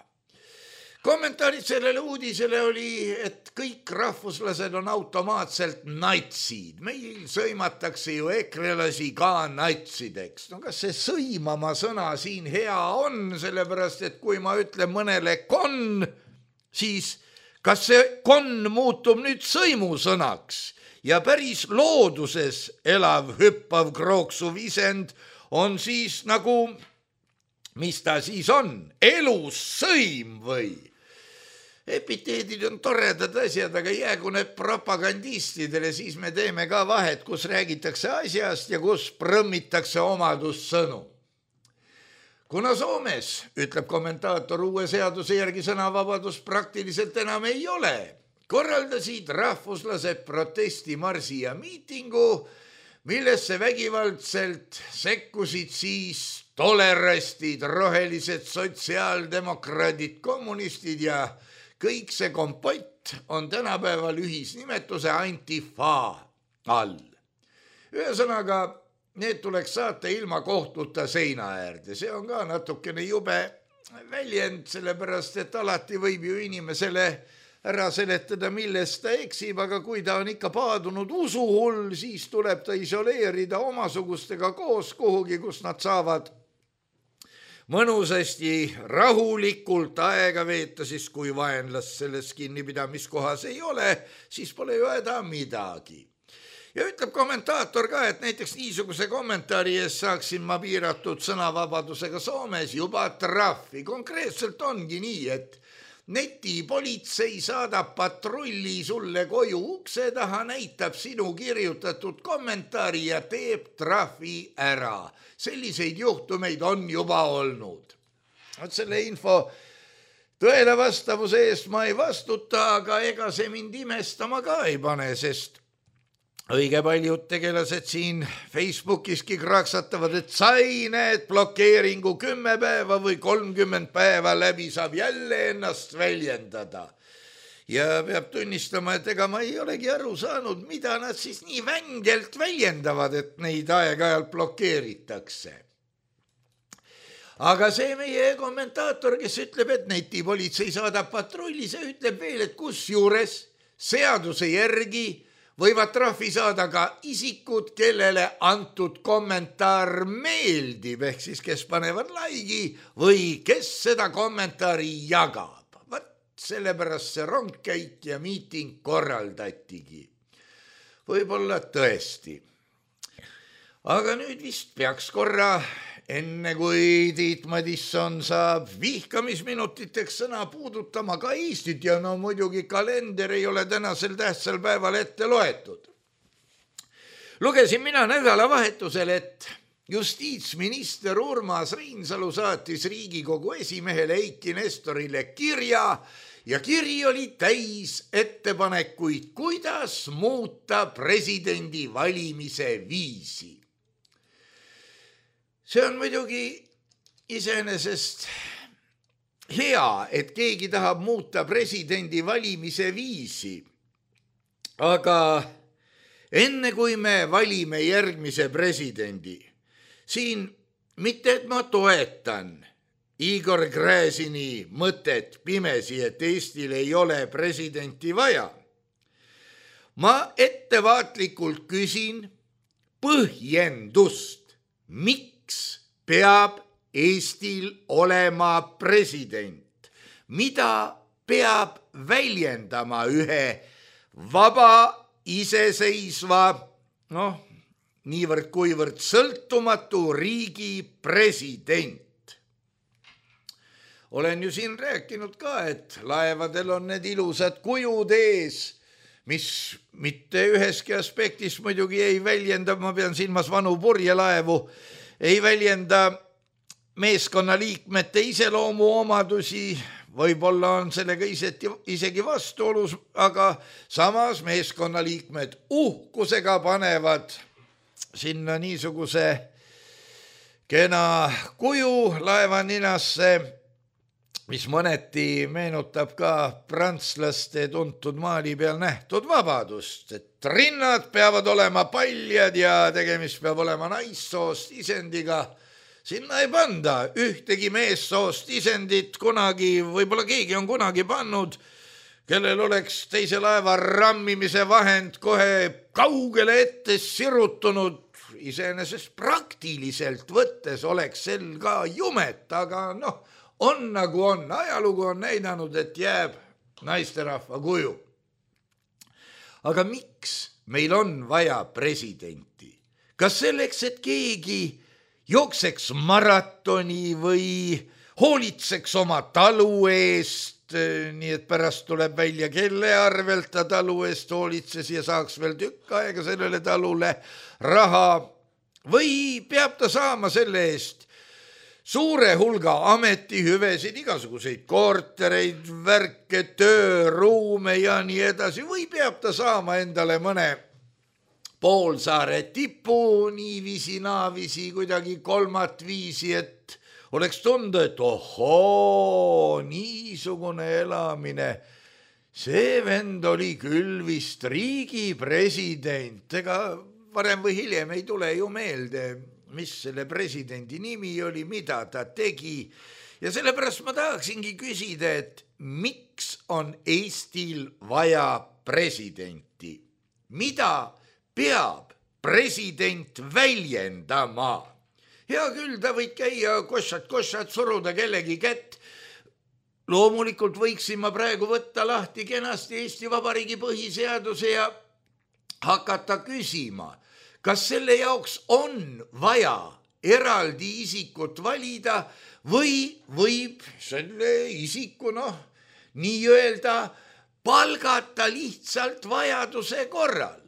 Kommentaarid sellele uudisele oli, et kõik rahvuslased on automaatselt natsid. Meil sõimatakse ju ekrelasi ka natsideks. No kas see sõimama sõna siin hea on, sellepärast et kui ma ütlen mõnele kon, siis kas see kon muutub nüüd sõimusõnaks? Ja päris looduses elav, hüppav, krooksuv isend on siis nagu, mis ta siis on, elus sõim või? Epiteedid on toredad asjad, aga jäägu need propagandistidele, siis me teeme ka vahet, kus räägitakse asjast ja kus prõmmitakse omadussõnu. kuna Soomes, ütleb kommentaator, uue seaduse järgi sõnavabadus praktiliselt enam ei ole, korraldasid rahvuslased protestimarsi ja miitingu, millesse vägivaldselt sekkusid siis tolerastid, rohelised, sotsiaaldemokraadid, kommunistid ja kõik see kompott on tänapäeval ühisnimetuse antifa all. Ühesõnaga, need tuleks saata ilma kohtuta seina äärde. See on ka natukene jube väljend, sellepärast et alati võib ju inimesele ära seletada, millest ta eksib, aga kui ta on ikka paadunud usuhull, siis tuleb ta isoleerida omasugustega koos kuhugi, kus nad saavad mõnusasti rahulikult aega veeta, siis kui vaenlast selles kinnipidamiskohas ei ole, siis pole ju häda midagi. Ja ütleb kommentaator ka, et näiteks niisuguse kommentaari ees saaksin ma piiratud sõnavabadusega Soomes juba trahvi. Konkreetselt ongi nii, et netipolitsei saadab patrulli sulle koju ukse taha, näitab sinu kirjutatud kommentaari ja teeb trahvi ära. Selliseid juhtumeid on juba olnud. Selle info tõele vastavuse eest ma ei vastuta, aga ega see mind imestama ka ei pane, sest õige paljud tegelased siin Facebookiski kraksatavad, et sai need blokeeringu kümme päeva või kolmkümmend päeva läbi, saab jälle ennast väljendada. Ja peab tunnistama, et ega ma ei olegi aru saanud, mida nad siis nii vängelt väljendavad, et neid aeg-ajalt blokeeritakse. Aga see meie kommentaator, kes ütleb, et netipolitsei saadab patrulli, see ütleb veel, et kus juures seaduse järgi võivad trahvi saada ka isikud, kellele antud kommentaar meeldib, ehk siis kes panevad laigi või kes seda kommentaari jagab. Võt, sellepärast see rongkäik ja miiting korraldatigi. Võib-olla tõesti. Aga nüüd vist peaks korra, enne kui Tiit Madisson saab vihkamisminutiteks sõna puudutama ka Eestit ja no muidugi kalender ei ole tänasel tähtsal päeval ette loetud. Lugesin mina nädalavahetusel, et justiitsminister Urmas Reinsalu saatis Riigikogu esimehele Eiki Nestorile kirja ja kiri oli täis ettepanekuid, kuidas muuta presidendi valimise viisi. See on muidugi iseenesest hea, et keegi tahab muuta presidendi valimise viisi, aga enne kui me valime järgmise presidendi, siin mitte, et ma toetan Igor Gräzini mõtet pimesi, et Eestil ei ole presidenti vaja. Ma ettevaatlikult küsin põhjendust, miks peab Eestil olema president, mida peab väljendama ühe vaba, iseseisva, noh, niivõrd kuivõrd sõltumatu riigi president. Olen ju siin rääkinud ka, et laevadel on need ilusad kujud ees, mis mitte üheski aspektis muidugi ei väljenda, ma pean silmas vanu purjelaevu, ei väljenda meeskonnaliikmete iseloomu omadusi, võib-olla on sellega isegi vastuolus, aga samas meeskonnaliikmed uhkusega panevad sinna niisuguse kena kuju laevaninasse, mis mõneti meenutab ka prantslaste tuntud maali peal nähtud vabadust, et rinnad peavad olema paljad ja tegemist peab olema naissoost isendiga. Sinna ei panda ühtegi meessoost isendit kunagi, võib-olla keegi on kunagi pannud, kellel oleks teise laeva rammimise vahend kohe kaugele ette sirutunud. Iseenesest praktiliselt võttes oleks sel ka jumet, aga noh, on nagu on. Ajalugu on näidanud, et jääb naisterahva kuju. Aga miks meil on vaja presidenti? Kas selleks, et keegi jookseks maratoni või hoolitseks oma talu eest, nii et pärast tuleb välja, kelle arvelt ta talu eest hoolitses ja saaks veel tükk aega sellele talule raha, või peab ta saama selle eest suure hulga ametihüvesid, igasuguseid kortereid, värke, tööruume ja nii edasi või peab ta saama endale mõne poolsaare tipu niiviisi, naavisi, kuidagi kolmat viisi, et oleks tunda, et ohoo, niisugune elamine. See vend oli küll vist riigi president, ega varem või hiljem ei tule ju meelde, mis selle presidendi nimi oli, mida ta tegi. Ja sellepärast ma tahaksingi küsida, et miks on Eestil vaja presidenti? Mida peab president väljendama? Hea küll, ta võid käia košat-košat, suruda kellegi kätt. Loomulikult võiksin ma praegu võtta lahti kenasti Eesti Vabariigi põhiseaduse ja hakata küsima, kas selle jaoks on vaja eraldi isikut valida või võib selle isiku, noh, nii-öelda palgata lihtsalt vajaduse korral.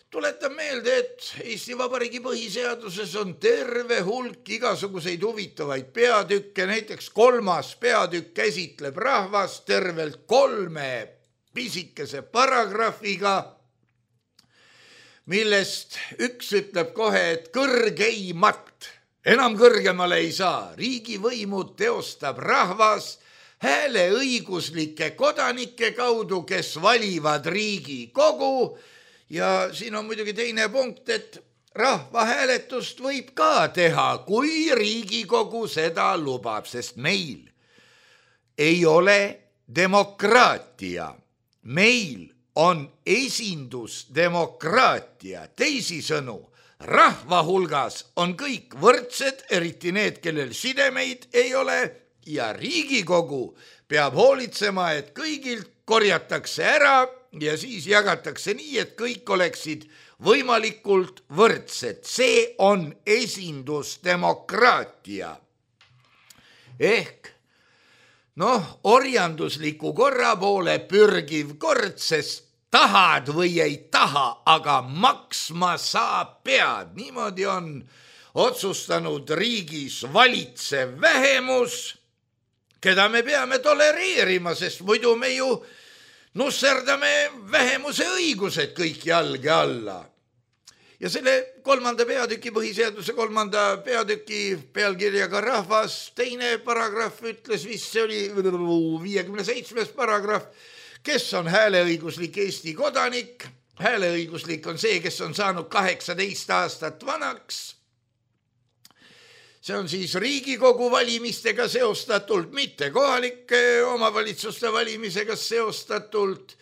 Tuletan meelde, et Eesti Vabariigi põhiseaduses on terve hulk igasuguseid huvitavaid peatükke, näiteks kolmas peatükk käsitleb rahvast tervelt kolme pisikese paragrahviga, millest üks ütleb kohe, et kõrgeimat, enam kõrgemale ei saa, riigivõimu teostab rahvas hääleõiguslike kodanike kaudu, kes valivad Riigikogu. Ja siin on muidugi teine punkt, et rahvahääletust võib ka teha, kui Riigikogu seda lubab, sest meil ei ole demokraatia. Meil on esindusdemokraatia. Teisisõnu, rahva hulgas on kõik võrdsed, eriti need, kellel sidemeid ei ole, ja Riigikogu peab hoolitsema, et kõigilt korjatakse ära ja siis jagatakse nii, et kõik oleksid võimalikult võrdsed. See on esindusdemokraatia. Ehk noh, orjandusliku korra poole pürgiv kord, sest tahad või ei taha, aga maksma sa pead. Niimoodi on otsustanud riigis valitsev vähemus, keda me peame tolereerima, sest muidu me ju nusserdame vähemuse õigused kõik jalge alla. Ja selle kolmanda peatüki, põhiseaduse kolmanda peatüki pealkirjaga rahvas, teine paragrahv ütles vist, see oli viiekümne seitsmes paragrahv, kes on hääleõiguslik Eesti kodanik. Hääleõiguslik on see, kes on saanud kaheksateist aastat vanaks. See on siis Riigikogu valimistega seostatult, mitte kohalike omavalitsuste valimisega seostatult.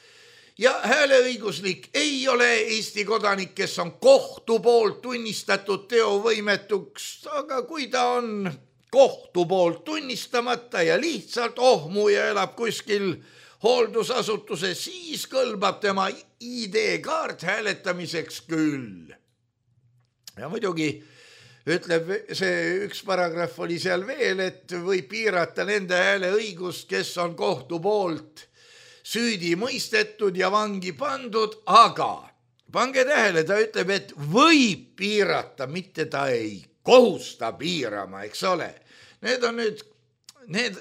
Ja hääleõiguslik ei ole Eesti kodanik, kes on kohtu poolt tunnistatud teovõimetuks, aga kui ta on kohtu poolt tunnistamata ja lihtsalt ohmuja elab kuskil hooldusasutuses, siis kõlbab tema I D-kaart hääletamiseks küll. Ja muidugi ütleb see üks paragrahv oli seal veel, et võib piirata nende hääleõigust, kes on kohtu poolt süüdi mõistetud ja vangi pandud, aga pange tähele, ta ütleb, et võib piirata, mitte ta ei kohusta piirama, eks ole. Need on nüüd need,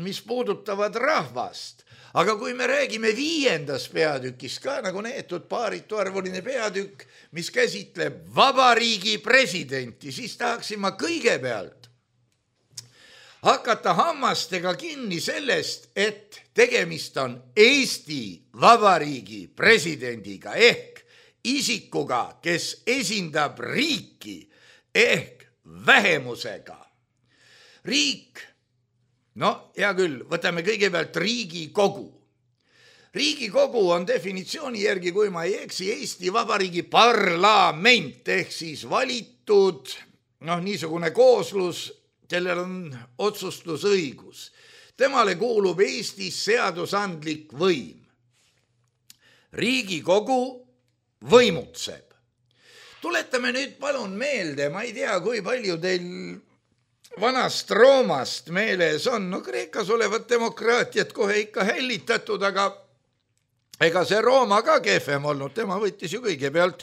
mis puudutavad rahvast. Aga kui me räägime viiendas peatükis ka nagu neetud paaritu arvuline peatükk, mis käsitleb vabariigi presidenti, siis tahaksin ma kõigepealt hakata hammastega kinni sellest, et tegemist on Eesti Vabariigi presidendiga ehk isikuga, kes esindab riiki ehk vähemusega. Riik, no hea küll, võtame kõigepealt Riigikogu. Riigikogu on definitsiooni järgi, kui ma ei eksi, Eesti Vabariigi parlament ehk siis valitud, noh, niisugune kooslus, kellel on otsustusõigus. Temale kuulub Eestis seadusandlik võim. Riigikogu võimutseb. Tuletame nüüd palun meelde, ma ei tea, kui palju teil vanast Roomast meeles on, no Kreekas olevat demokraatiat kohe ikka hällitatud, aga ega see Rooma ka kehvem olnud, tema võttis ju kõigepealt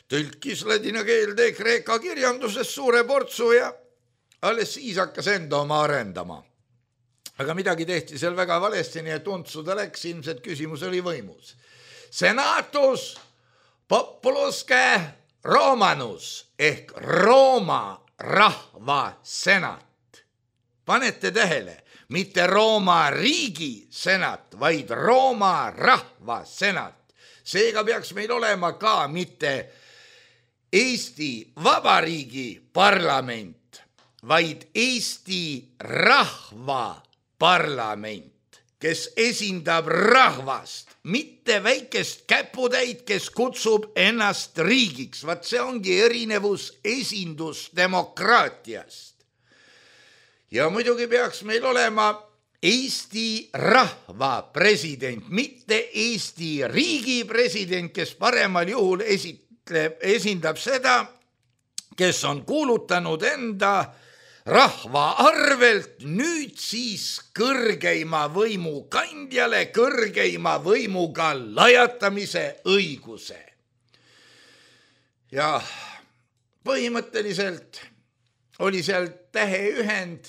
tõlkis ladina keelde Kreeka kirjanduses suure portsu ja alles siis hakkas enda oma arendama. Aga midagi tehti seal väga valesti, nii et untsuda läks, ilmselt küsimus oli võimus. Senatus populuske Romanus ehk Rooma rahva senat. Panete tähele, mitte Rooma riigi senat, vaid Rooma rahva senat. Seega peaks meil olema ka mitte Eesti Vabariigi parlament, vaid Eesti rahva parlament, kes esindab rahvast, mitte väikest käputäit, kes kutsub ennast riigiks. Vaat see ongi erinevus esindusdemokraatiast. Ja muidugi peaks meil olema Eesti rahva president, mitte Eesti riigi president, kes paremal juhul esitleb, esindab seda, kes on kuulutanud enda rahva arvelt nüüd siis kõrgeima võimu kandjale kõrgeima võimuga lajatamise õiguse. Ja põhimõtteliselt oli seal täheühend,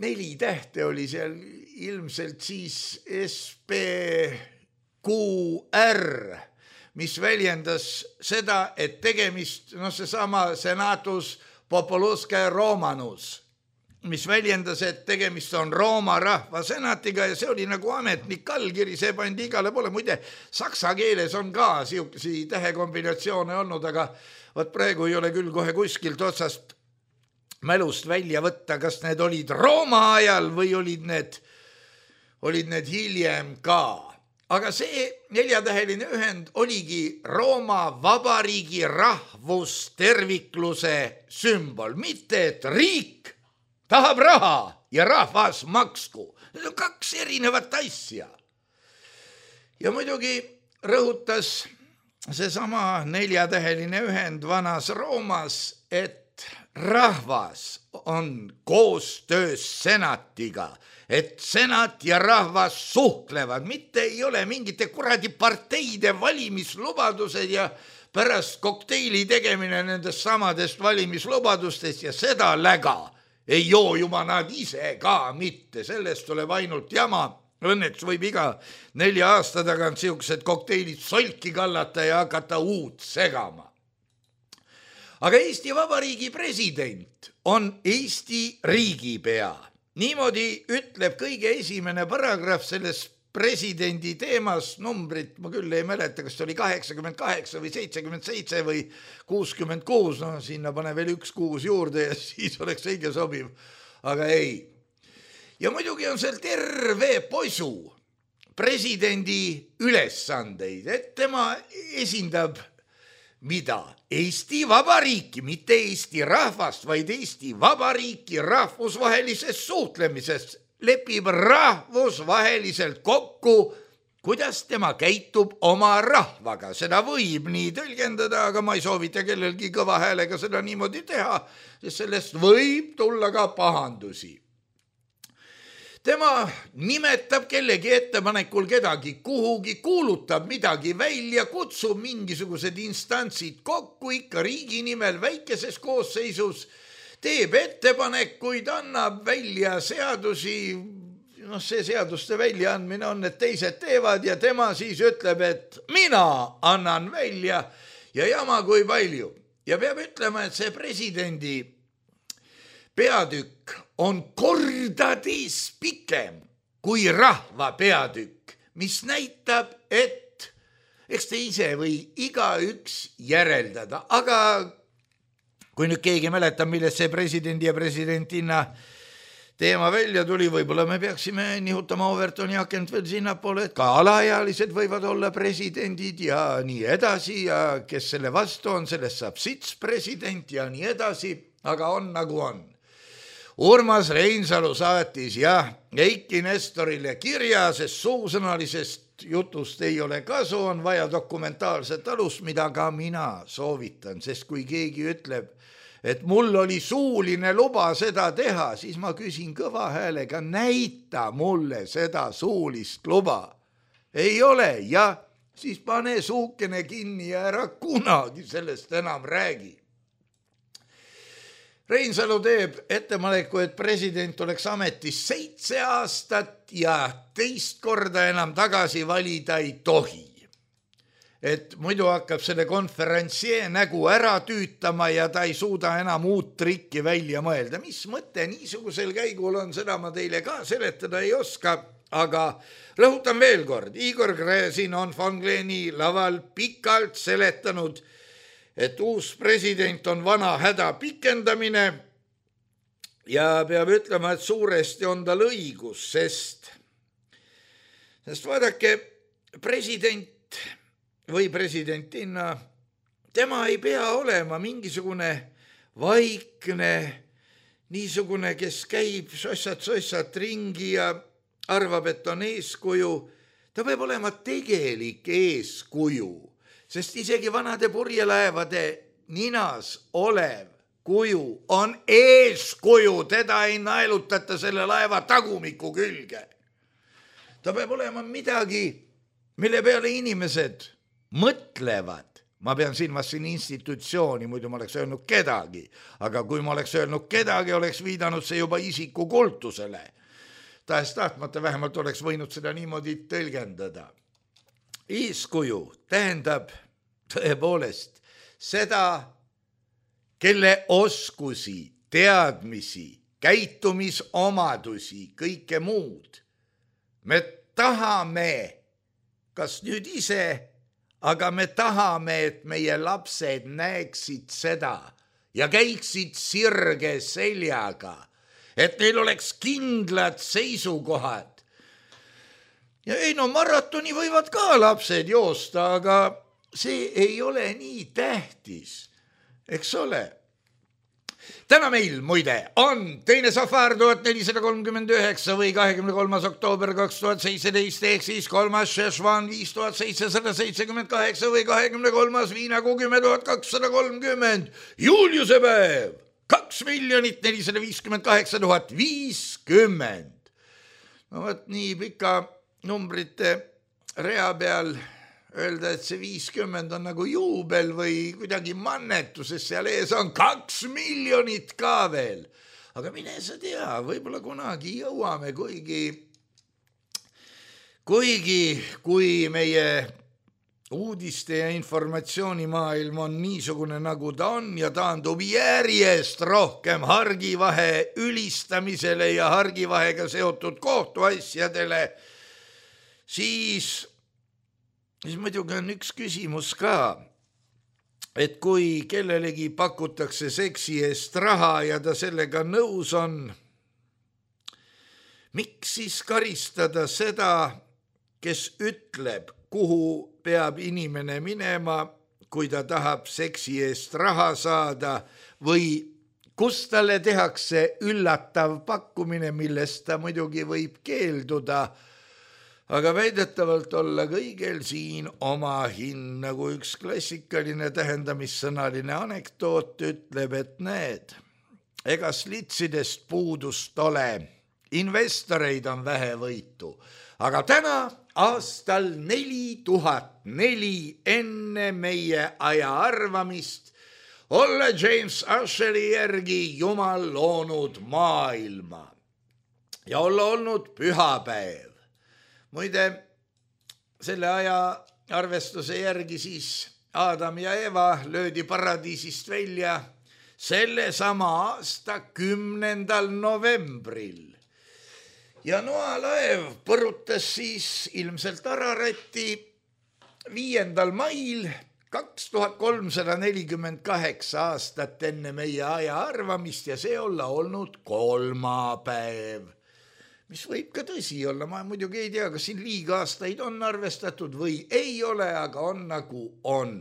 neli tähte oli seal ilmselt siis S P Q R, mis väljendas seda, et tegemist, no seesama Senatus Populuske Romanus, mis väljendas, et tegemist on Rooma rahva senatiga ja see oli nagu ametnik allkiri, see pandi igale poole. Muide, saksa keeles on ka siukesi tähekombinatsioone olnud, aga võt praegu ei ole küll kohe kuskilt otsast mälust välja võtta, kas need olid Rooma ajal või olid need, olid need hiljem ka. Aga see neljatäheline ühend oligi Rooma Vabariigi rahvustervikluse sümbol. Mitte, et riik tahab raha ja rahvas maksku. Need on kaks erinevat asja. Ja muidugi rõhutas seesama neljatäheline ühend vanas Roomas, et rahvas on koostöös senatiga, et senat ja rahvas suhtlevad, mitte ei ole mingite kuradi parteide valimislubadused ja pärast kokteili tegemine nendest samadest valimislubadustest ja seda läga ei joo juba nad ise ka mitte, sellest tuleb ainult jama. Õnneks võib iga nelja aasta tagant siuksed kokteilid solki kallata ja hakata uut segama. Aga Eesti Vabariigi president on Eesti riigipea. Niimoodi ütleb kõige esimene paragrahv selles presidendi teemas, numbrit ma küll ei mäleta, kas see oli kaheksakümmend kaheksa või seitsekümmend seitse või kuuskümmend kuus, no sinna pane veel üks kuus juurde ja siis oleks õige sobiv, aga ei. Ja muidugi on seal terve posu presidendi ülesandeid, et tema esindab mida? Eesti Vabariiki, mitte Eesti rahvast, vaid Eesti Vabariiki rahvusvahelises suhtlemises lepib rahvusvaheliselt kokku, kuidas tema käitub oma rahvaga. Seda võib nii tõlgendada, aga ma ei soovita kellelgi kõva häälega seda niimoodi teha, sest sellest võib tulla ka pahandusi. Tema nimetab kellegi ettepanekul kedagi kuhugi, kuulutab midagi välja, kutsub mingisugused instantsid kokku ikka riigi nimel väikeses koosseisus, teeb ettepanekuid, annab välja seadusi, noh see seaduste väljaandmine on, et teised teevad ja tema siis ütleb, et mina annan välja ja jama kui palju. Ja peab ütlema, et see presidendi peatükk on kordades pikem kui rahva peatükk, mis näitab, et eks te ise või igaüks järeldada, aga kui nüüd keegi mäletab, millest see presidendi ja presidentina teema välja tuli, võib-olla me peaksime nihutama Overtoni akent veel sinnapoole, et ka alaealised võivad olla presidendid ja nii edasi ja kes selle vastu on, sellest saab sits president ja nii edasi, aga on nagu on. Urmas Reinsalu saatis jah Eiki Nestorile kirja, sest suusõnalisest jutust ei ole kasu, on vaja dokumentaalset alust, mida ka mina soovitan, sest kui keegi ütleb, et mul oli suuline luba seda teha, siis ma küsin kõva häälega, näita mulle seda suulist luba. Ei ole, ja siis pane suukene kinni ja ära kunagi sellest enam räägi. Reinsalu teeb ettepaneku, et president oleks ametis seitse aastat ja teist korda enam tagasi valida ei tohi. Et muidu hakkab selle konferentsee nägu ära tüütama ja ta ei suuda enam uut trikki välja mõelda. Mis mõte niisugusel käigul on, seda ma teile ka seletada ei oska, aga rõhutan veel kord, Igor Gräzin on von Gleni laval pikalt seletanud, et uus president on vana häda pikendamine ja peab ütlema, et suuresti on tal õigus, sest, sest vaadake, president või presidentina, tema ei pea olema mingisugune vaikne, niisugune, kes käib sossat-sossat ringi ja arvab, et on eeskuju. Ta peab olema tegelik eeskuju, sest isegi vanade purjelaevade ninas olev kuju on eeskuju, teda ei naelutata selle laeva tagumiku külge. Ta peab olema midagi, mille peale inimesed mõtlevad. Ma pean silmas siin institutsiooni, muidu ma oleks öelnud kedagi, aga kui ma oleks öelnud kedagi, oleks viidanud see juba isiku kultusele. Tahes tahtmata vähemalt oleks võinud seda niimoodi tõlgendada. Eeskuju tähendab tõepoolest seda, kelle oskusi, teadmisi, käitumisomadusi, kõike muud me tahame, kas nüüd ise, aga me tahame, et meie lapsed näeksid seda ja käiksid sirge seljaga, et neil oleks kindlad seisukohad. Ja ei no maratoni võivad ka lapsed joosta, aga see ei ole nii tähtis, eks ole. Täna meil muide on teine safar tuhat nelisada kolmkümmend üheksa või kahekümne kolmas oktoober kaks tuhat seitseteist ehk siis kolmas Šešvan viis tuhat seitsesada seitsekümmend kaheksa või kahekümne kolmas viinakuu kümme tuhat kakssada kolmkümmend Juliuse päev kaks miljonit nelisada viiskümmend kaheksa tuhat viiskümmend. No võt nii pika numbrite rea peal öelda, et see viiskümmend on nagu juubel või kuidagi mannetuses, seal ees on kaks miljonit ka veel. Aga mine sa tea, võib-olla kunagi jõuame, kuigi, kuigi kui meie uudiste ja informatsioonimaailm on niisugune, nagu ta on ja taandub järjest rohkem Hargivahe ülistamisele ja Hargivahega seotud kohtuasjadele, siis siis muidugi on üks küsimus ka, et kui kellelegi pakutakse seksi eest raha ja ta sellega nõus on, miks siis karistada seda, kes ütleb, kuhu peab inimene minema, kui ta tahab seksi eest raha saada või kus talle tehakse üllatav pakkumine, millest ta muidugi võib keelduda, aga väidetavalt olla kõigel siin oma hind, nagu üks klassikaline tähendamissõnaline anekdoot ütleb, et need, ega slitsidest puudust ole, investoreid on vähe võitu, aga täna aastal neli tuhat neli enne meie aja arvamist olla James Usheri järgi Jumal loonud maailma ja olla olnud pühapäev. Muide, selle aja arvestuse järgi siis Adam ja Eva löödi paradiisist välja selle sama aasta kümnendal novembril. Ja Noa-laev põrutas siis ilmselt Araratti viiendal mail kaks tuhat kolmsada nelikümmend kaheksa aastat enne meie aja arvamist ja see olla olnud kolmapäev. Mis võib ka tõsi olla, ma muidugi ei tea, kas siin liiga aastaid on arvestatud või ei ole, aga on nagu on.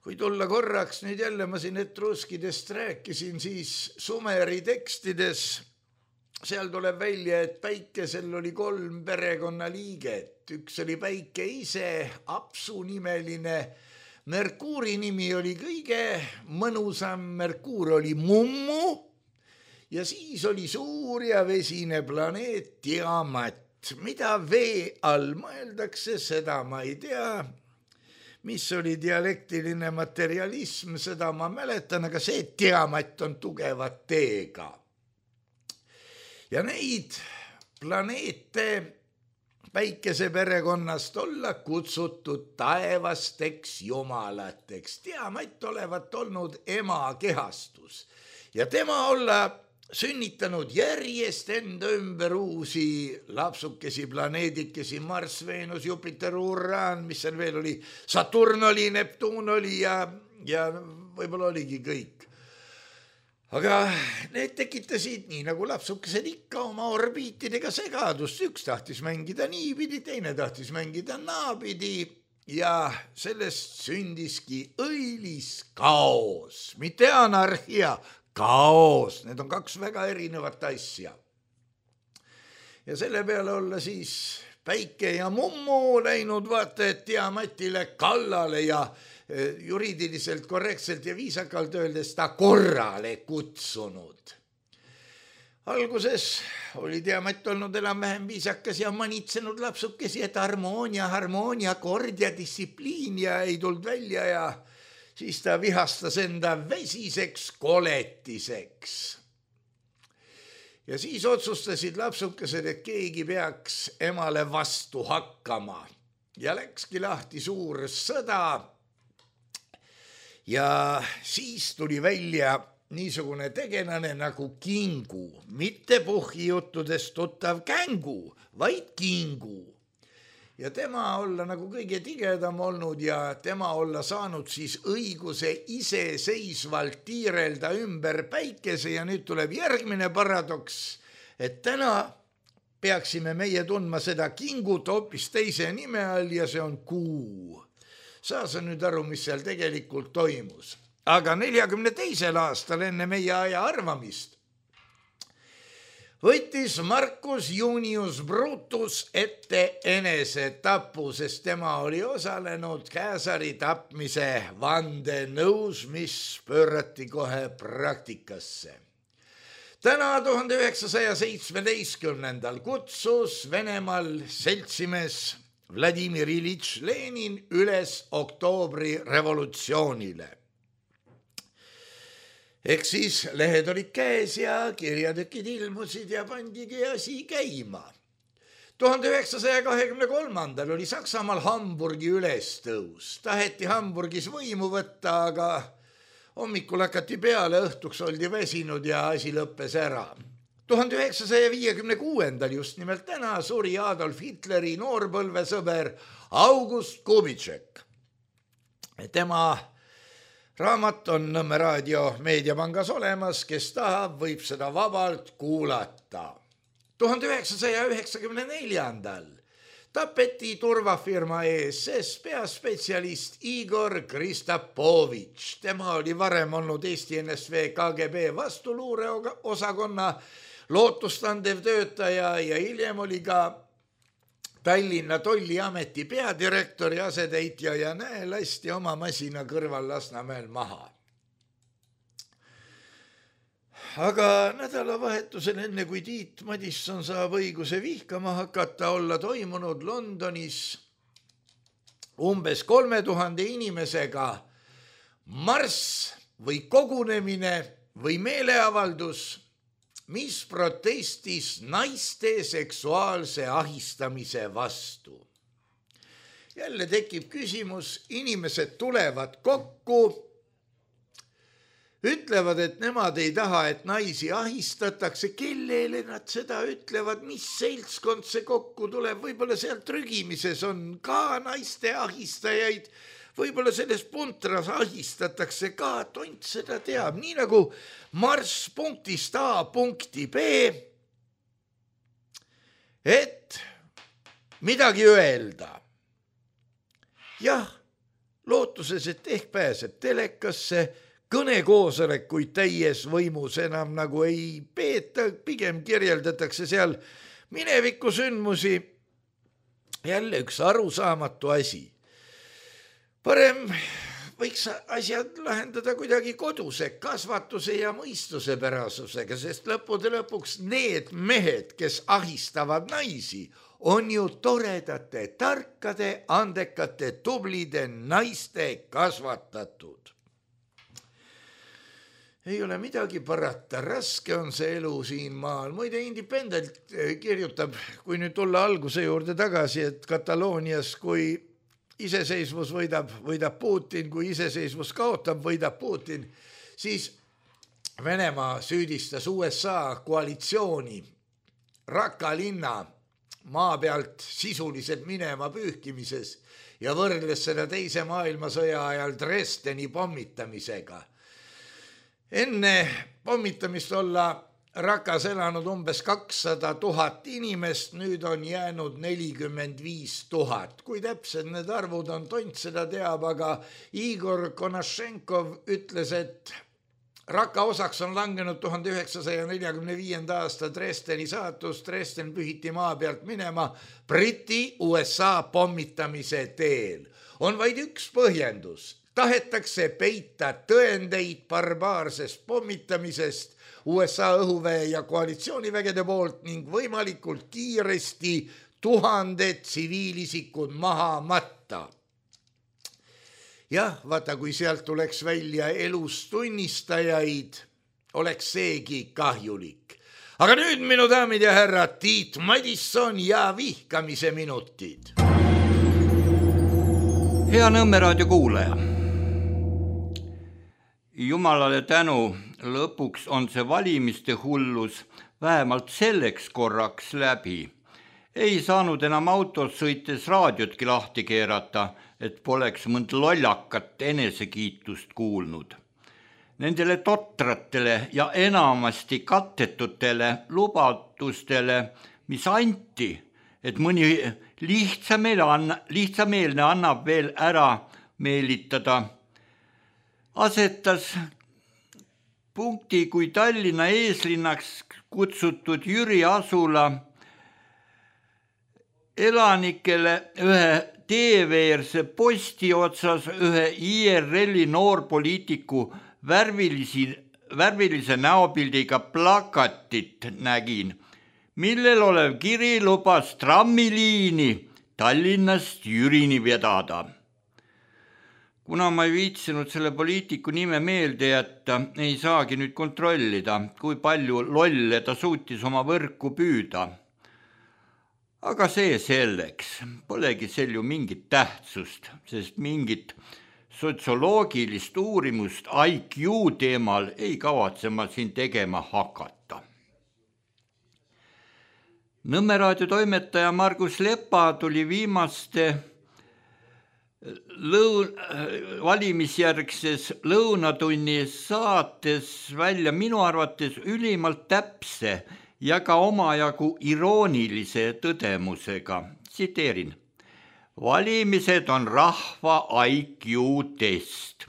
Kui tulla korraks, nüüd jälle ma siin etruskidest rääkisin, siis Sumeri tekstides, seal tuleb välja, et Päikesel oli kolm perekonnaliiget. Üks oli Päike ise, Apsu nimeline, Merkuuri nimi oli kõige mõnusam, Merkuur oli Mummu, ja siis oli suur ja vesine planeet Tiamat. Mida vee all mõeldakse, seda ma ei tea. mis oli dialektiline materialism, seda ma mäletan, aga see Tiamat on tugeva teega. Ja neid planeete päikese perekonnast olla kutsutud taevasteks jumalateks. Tiamat olevat olnud ema kehastus ja tema olla sünnitanud järjest enda ümber uusi lapsukesi, planeedikesi, Marss, Veenus, Jupiter, Uraan, mis seal veel oli, Saturn oli, Neptuun oli ja, ja võib-olla oligi kõik. Aga need tekitasid, nii nagu lapsukesed ikka, oma orbiitidega segadust. Üks tahtis mängida niipidi, teine tahtis mängida naapidi ja sellest sündiski õilis kaos, mitte anarhia, kaos. Need on kaks väga erinevat asja. Ja selle peale olla siis Päike ja Mummu läinud vaata, et Tiamatile kallale ja juriidiliselt korrektselt ja viisakalt öeldes ta korrale kutsunud. Alguses oli Tiamat olnud enam-vähem viisakas ja manitsenud lapsukesi, et harmoonia, harmoonia, kord ja distsipliin ja ei tulnud välja ja siis ta vihastas enda vesiseks koletiseks. Ja siis otsustasid lapsukesed, et keegi peaks emale vastu hakkama. Ja läkski lahti suur sõda. Ja siis tuli välja niisugune tegelane nagu Kingu, mitte puhhijuttudest tuttav Kängu, vaid Kingu. Ja tema olla nagu kõige tigedam olnud ja tema olla saanud siis õiguse iseseisvalt tiirelda ümber päikese ja nüüd tuleb järgmine paradoks, et täna peaksime meie tundma seda Kingut hoopis teise nime all ja see on Kuu. Saa sa nüüd aru, mis seal tegelikult toimus. Aga neljakümne teisel aastal enne meie aja arvamist võttis Marcus Junius Brutus ette enesetapu, sest tema oli osalenud Käsari tapmise vandenõus, mis pöörati kohe praktikasse. Täna tuhande üheksasaja seitsmeteistkümnendal kutsus Venemaal seltsimees Vladimir Iljitš Lenin üles oktoobri revolutsioonile. Ehk siis lehed olid käes ja kirjatükid ilmusid ja pandigi asi käima. tuhande üheksasaja kahekümne kolmandal oli Saksamaal Hamburgi ülestõus. Taheti Hamburgis võimu võtta, aga hommikul hakati peale, õhtuks oldi väsinud ja asi lõppes ära. tuhande üheksasaja viiekümne kuuendal just nimelt täna suri Adolf Hitleri noorpõlvesõber August Kubitšek. Tema raamat on Nõmme raadio meediapangas olemas, kes tahab, võib seda vabalt kuulata. tuhande üheksasaja üheksakümne neljandal tapeti turvafirma E S S peaspetsialist Igor Kristapovitš. Tema oli varem olnud Eesti N S V K G B vastuluureosakonna lootustandev töötaja ja hiljem oli ka Tallinna tolliameti peadirektori asetäitja ja näe, lasti oma masina kõrval Lasnamäel maha. Aga nädalavahetusel enne, kui Tiit Madisson saab õiguse vihkama hakata, olla toimunud Londonis umbes kolme tuhande inimesega marss või kogunemine või meeleavaldus, mis protestis naiste seksuaalse ahistamise vastu. Jälle tekib küsimus, inimesed tulevad kokku, ütlevad, et nemad ei taha, et naisi ahistatakse, kellele nad seda ütlevad, mis seltskond see kokku tuleb, võib-olla seal trügimises on ka naiste ahistajaid, võib-olla selles puntras ahistatakse ka, tont seda teab, nii nagu marss punktist A punkti B, et midagi öelda. Jah, lootuses, et ehk pääseb telekasse, kõnekoosolekuid täies võimus enam nagu ei peeta, pigem kirjeldatakse seal mineviku sündmusi. Jälle üks arusaamatu asi. Parem võiks asjad lahendada kuidagi koduse kasvatuse ja mõistuse pärasusega, sest lõppude lõpuks need mehed, kes ahistavad naisi, on ju toredate, tarkade, andekate, tublide naiste kasvatatud. Ei ole midagi parata, raske on see elu siin maal. Muide, Independent kirjutab, kui nüüd tulla alguse juurde tagasi, et Kataloonias, kui iseseisvus võidab, võidab Putin, kui iseseisvus kaotab, võidab Putin, siis Venemaa süüdistas U S A koalitsiooni Raqqa linna maa pealt sisuliselt minema pühkimises ja võrdles seda teise maailmasõja ajal Dresdeni pommitamisega. Enne pommitamist olla Rakas elanud umbes kakssada tuhat inimest, nüüd on jäänud nelikümmend viis tuhat. Kui täpsed need arvud on, tont seda teab, aga Igor Konashenkov ütles, et Raqqa osaks on langenud tuhande üheksasaja neljakümne viienda aasta Dresdeni saatus. Dresden pühiti maa pealt minema Briti U S A pommitamise teel. On vaid üks põhjendus. Tahetakse peita tõendeid barbaarsest pommitamisest U S A õhuväe ja koalitsioonivägede poolt ning võimalikult kiiresti tuhanded tsiviilisikud maha matta. Jah, vaata, kui sealt tuleks välja elus tunnistajaid, oleks seegi kahjulik. Aga nüüd, minu daamid ja härrad, Tiit Madisson ja vihkamise minutid. Hea Nõmme raadio kuulaja. Jumalale tänu, lõpuks on see valimiste hullus vähemalt selleks korraks läbi. Ei saanud enam autos sõites raadiotki lahti keerata, et poleks mõnd lollakat enesekiitust kuulnud. Nendele totratele ja enamasti kattetutele lubadustele, mis anti, et mõni lihtsameelne, lihtsameelne annab veel ära meelitada, asetas punkti, kui Tallinna eeslinnaks kutsutud Jüri Asula elanikele ühe teeveerse posti otsas ühe I R L-i noorpoliitiku värvilisi, värvilise näopildiga plakatit nägin, millel olev kiri lubas trammiliini Tallinnast Jürini vedada. Kuna ma ei viitsinud selle poliitiku nime meelde jätta, ei saagi nüüd kontrollida, kui palju lolle ta suutis oma võrku püüda. Aga see selleks, polegi sel ju mingit tähtsust, sest mingit sotsioloogilist uurimust I Q teemal ei kavatse ma siin tegema hakata. Nõmme raadio toimetaja Margus Lepa tuli viimaste lõun, valimisjärgses lõunatunni saates välja minu arvates ülimalt täpse ja ka omajagu iroonilise tõdemusega. Tsiteerin. Valimised on rahva I Q test.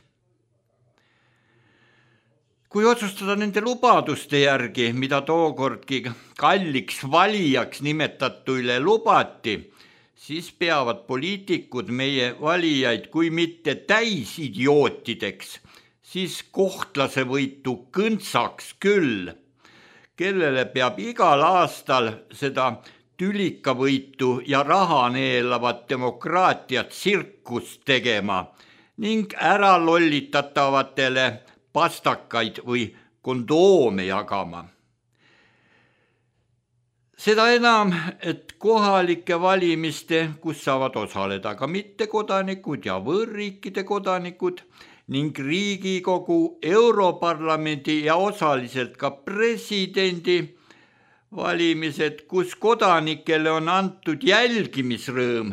Kui otsustada nende lubaduste järgi, mida tookordki kalliks valijaks nimetatuile lubati, siis peavad poliitikud meie valijaid kui mitte täisidiootideks, siis kohtlase võitu kõntsaks küll, kellele peab igal aastal seda tülikavõitu ja raha neelavat demokraatiat tsirkust tegema ning ära lollitatavatele pastakaid või kondoome jagama. Seda enam, et kohalike valimiste, kus saavad osaleda ka mittekodanikud ja võõrriikide kodanikud ning Riigikogu, Europarlamendi ja osaliselt ka presidendi valimised, kus kodanikele on antud jälgimisrõõm,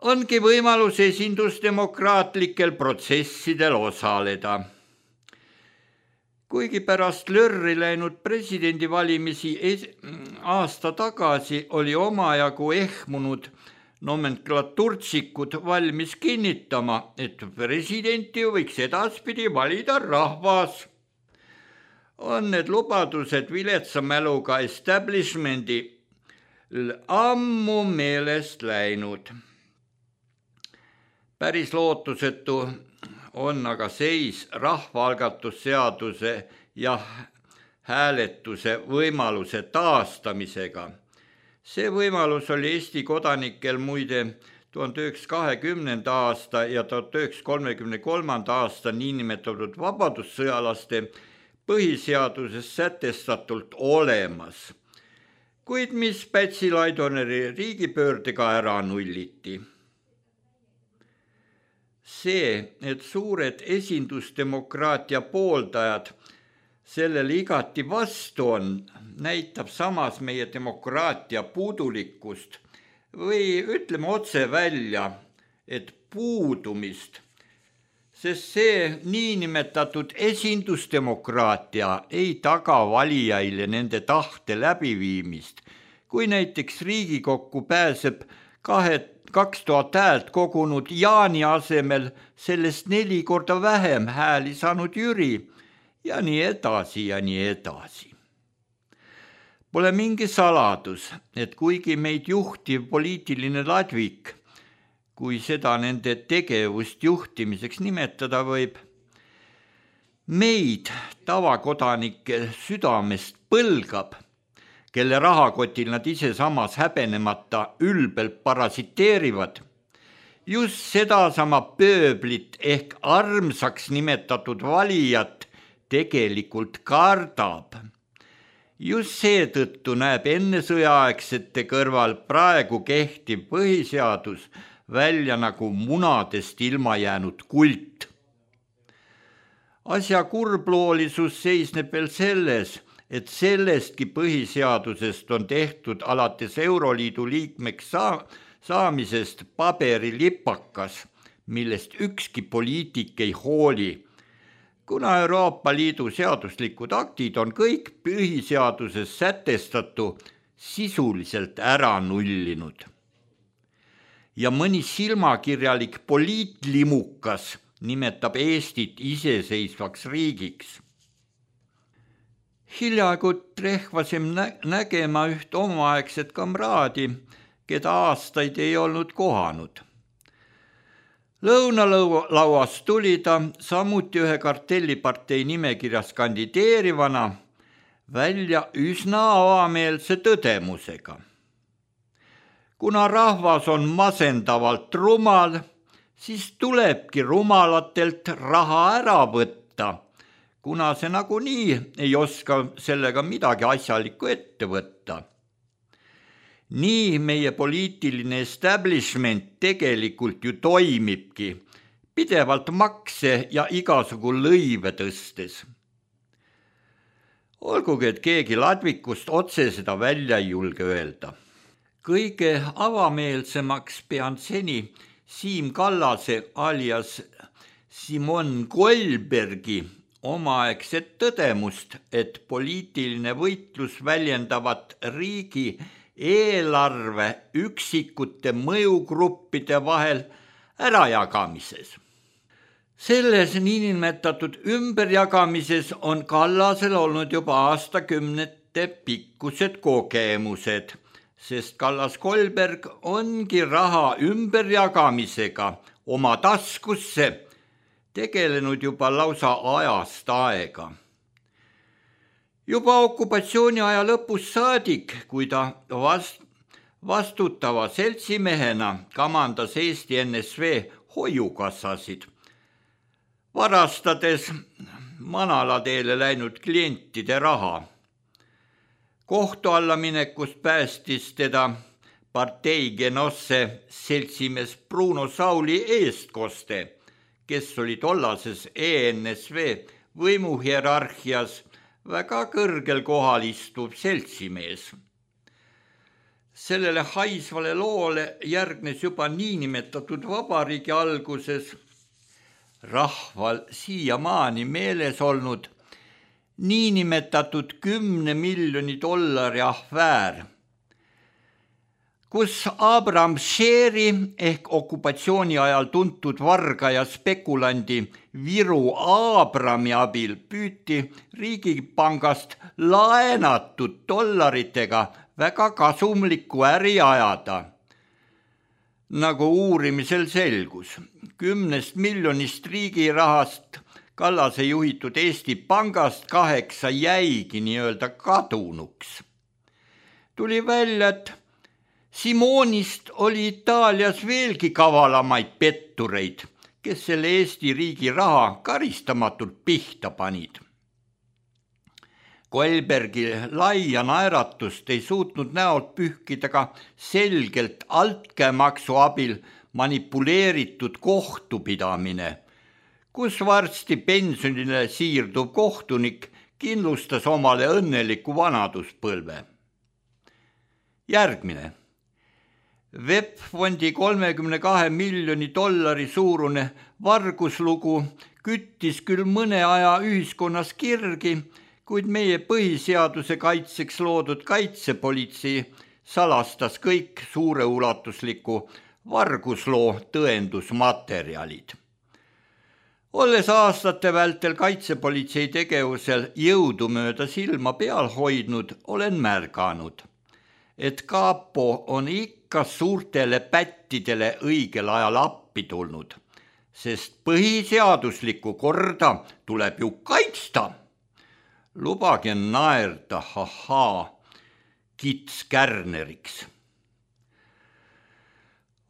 ongi võimalus esindusdemokraatlikel protsessidel osaleda. Kuigi pärast lörri läinud presidendivalimisi aasta tagasi oli omajagu ehmunud nomenklaturtsikud valmis kinnitama, et presidenti võiks edaspidi valida rahvas, on need lubadused viletsa mäluga establishmendi ammu meelest läinud. Päris lootusetu on aga seis rahvaalgatusseaduse ja hääletuse võimaluse taastamisega. See võimalus oli Eesti kodanikel muide tuhande üheksasaja kahekümnenda aasta ja tuhande üheksasaja kolmekümne kolmanda aasta niinimetatud vabadussõjalaste põhiseaduses sätestatult olemas, kuid mis Pätsi-Laidoneri riigipöördega ära nulliti. See, et suured esindusdemokraatia pooldajad sellele igati vastu on, näitab samas meie demokraatia puudulikkust või ütleme otse välja, et puudumist, sest see niinimetatud esindusdemokraatia ei taga valijaile nende tahte läbiviimist. Kui näiteks Riigikokku pääseb kahe, kaks tuhat häält kogunud Jaani asemel sellest neli korda vähem hääli saanud Jüri ja nii edasi ja nii edasi. Pole mingi saladus, et kuigi meid juhtiv poliitiline ladvik, kui seda nende tegevust juhtimiseks nimetada võib, meid tavakodanike südamest põlgab, kelle rahakotil nad ise samas häbenemata ülbelt parasiteerivad, just sedasama pööblit ehk armsaks nimetatud valijat tegelikult kardab. Just seetõttu näeb enne sõjaaegsete kõrval praegu kehtiv põhiseadus välja nagu munadest ilma jäänud kult. Asja kurbloolisus seisneb veel selles, et sellestki põhiseadusest on tehtud alates Euroliidu liikmeks saa- saamisest paberilipakas, millest ükski poliitik ei hooli, kuna Euroopa Liidu seaduslikud aktid on kõik põhiseaduses sätestatu sisuliselt ära nullinud. Ja mõni silmakirjalik poliitlimukas nimetab Eestit iseseisvaks riigiks. Hiljaaegu trehvasim nä- nägema üht omaaegset kamraadi, keda aastaid ei olnud kohanud. Lõunalauas tuli ta samuti ühe kartellipartei nimekirjas kandideerivana välja üsna avameelse tõdemusega. Kuna rahvas on masendavalt rumal, siis tulebki rumalatelt raha ära võtta, kuna see nagunii ei oska sellega midagi asjalikku ette võtta. Nii meie poliitiline establishment tegelikult ju toimibki, pidevalt makse ja igasugu lõive tõstes. Olgugi, et keegi ladvikust otse seda välja ei julge öelda. Kõige avameelsemaks pean seni Siim Kallase alias Simon Goldbergi omaaegset tõdemust, et poliitiline võitlus väljendavat riigi eelarve üksikute mõjugruppide vahel ärajagamises. Selles niinimetatud ümberjagamises on Kallasel olnud juba aastakümnete pikkused kogemused, sest Kallas-Goldberg ongi raha ümberjagamisega oma taskusse tegelenud juba lausa ajast aega. Juba okupatsiooni aja lõpus saadik, kui ta vast, vastutava seltsimehena kamandas Eesti N S V hoiukassasid, varastades manalateele läinud klientide raha. Kohtu alla minekust päästis teda partei genosse seltsimees Bruno Sauli eestkoste, kes oli tollases E N S V võimuhierarhias väga kõrgel kohal istuv seltsimees. Sellele haisvale loole järgnes juba niinimetatud vabariigi alguses rahval siiamaani meeles olnud niinimetatud kümne miljoni dollari ahväär, kus Abram Sheri ehk okupatsiooni ajal tuntud varga ja spekulandi Viru Abrami abil püüti riigipangast laenatud dollaritega väga kasumlikku äri ajada. Nagu uurimisel selgus, kümnest miljonist riigi rahast Kallase juhitud Eesti Pangast kaheksa jäigi nii-öelda kadunuks. Tuli välja, et Simonist oli Itaalias veelgi kavalamaid pettureid, kes selle Eesti riigi raha karistamatult pihta panid. Koelbergi laia naeratust ei suutnud näolt pühkida ka selgelt altkäemaksu abil manipuleeritud kohtupidamine, kus varsti pensionile siirduv kohtunik kindlustas omale õnneliku vanaduspõlve. Järgmine. V E P-fondi kolmekümne kahe miljoni dollari suurune varguslugu küttis küll mõne aja ühiskonnas kirgi, kuid meie põhiseaduse kaitseks loodud kaitsepolitsei salastas kõik suureulatusliku vargusloo tõendusmaterjalid. Olles aastate vältel kaitsepolitsei tegevusel jõudumööda silma peal hoidnud, olen märganud, et Kaapo on ikka suurtele pättidele õigel ajal appi tulnud, sest põhiseaduslikku korda tuleb ju kaitsta. Lubage naerda, hahaa, kits kärneriks.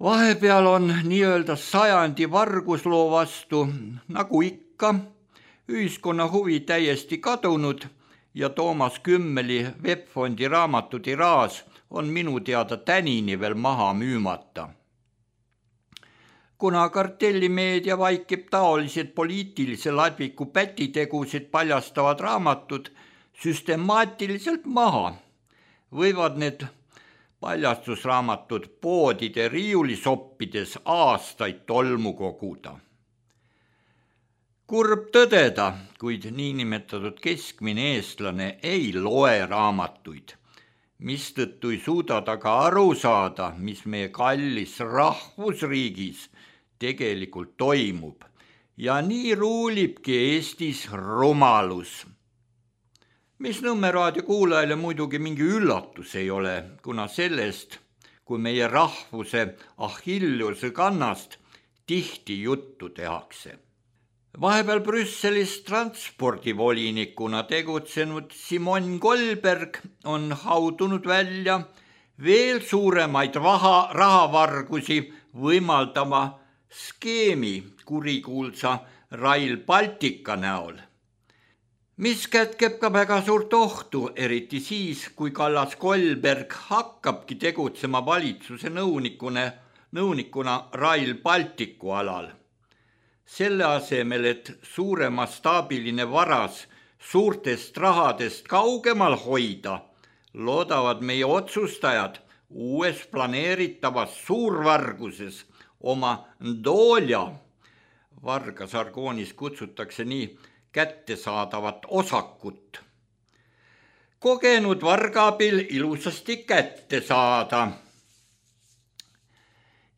Vahepeal on nii-öelda sajandi vargusloo vastu, nagu ikka, ühiskonna huvi täiesti kadunud ja Toomas Kümmeli V E P-fondi raamatu tiraas on minu teada tänini veel maha müümata. Kuna kartellimeedia vaikib taolised poliitilise ladviku pätitegusid paljastavad raamatud süstemaatiliselt maha, võivad need paljastusraamatud poodide riiulisoppides aastaid tolmu koguda. Kurb tõdeda, kuid niinimetatud keskmine eestlane ei loe raamatuid, mistõttu ei suuda ta ka aru saada, mis meie kallis rahvusriigis tegelikult toimub ja nii ruulibki Eestis rumalus. Mis Nõmme raadio kuulajale muidugi mingi üllatus ei ole, kuna sellest, kui meie rahvuse Achilleuse kannast tihti juttu tehakse. Vahepeal Brüsselis transpordivolinikuna tegutsenud Simon Koelberg on haudunud välja veel suuremaid raha, rahavargusi võimaldama skeemi kurikuulsa Rail Baltica näol, mis kätkeb ka väga suurt ohtu, eriti siis, kui Kallas Koelberg hakkabki tegutsema valitsuse nõunikune, nõunikuna Rail Balticu alal. Selle asemel, et suuremastaabiline varas suurtest rahadest kaugemal hoida, loodavad meie otsustajad uues planeeritavas suurvarguses oma Dolja, varga sargoonis kutsutakse nii, kättesaadavat osakut. Kogenud vargaabil ilusasti kätte saada.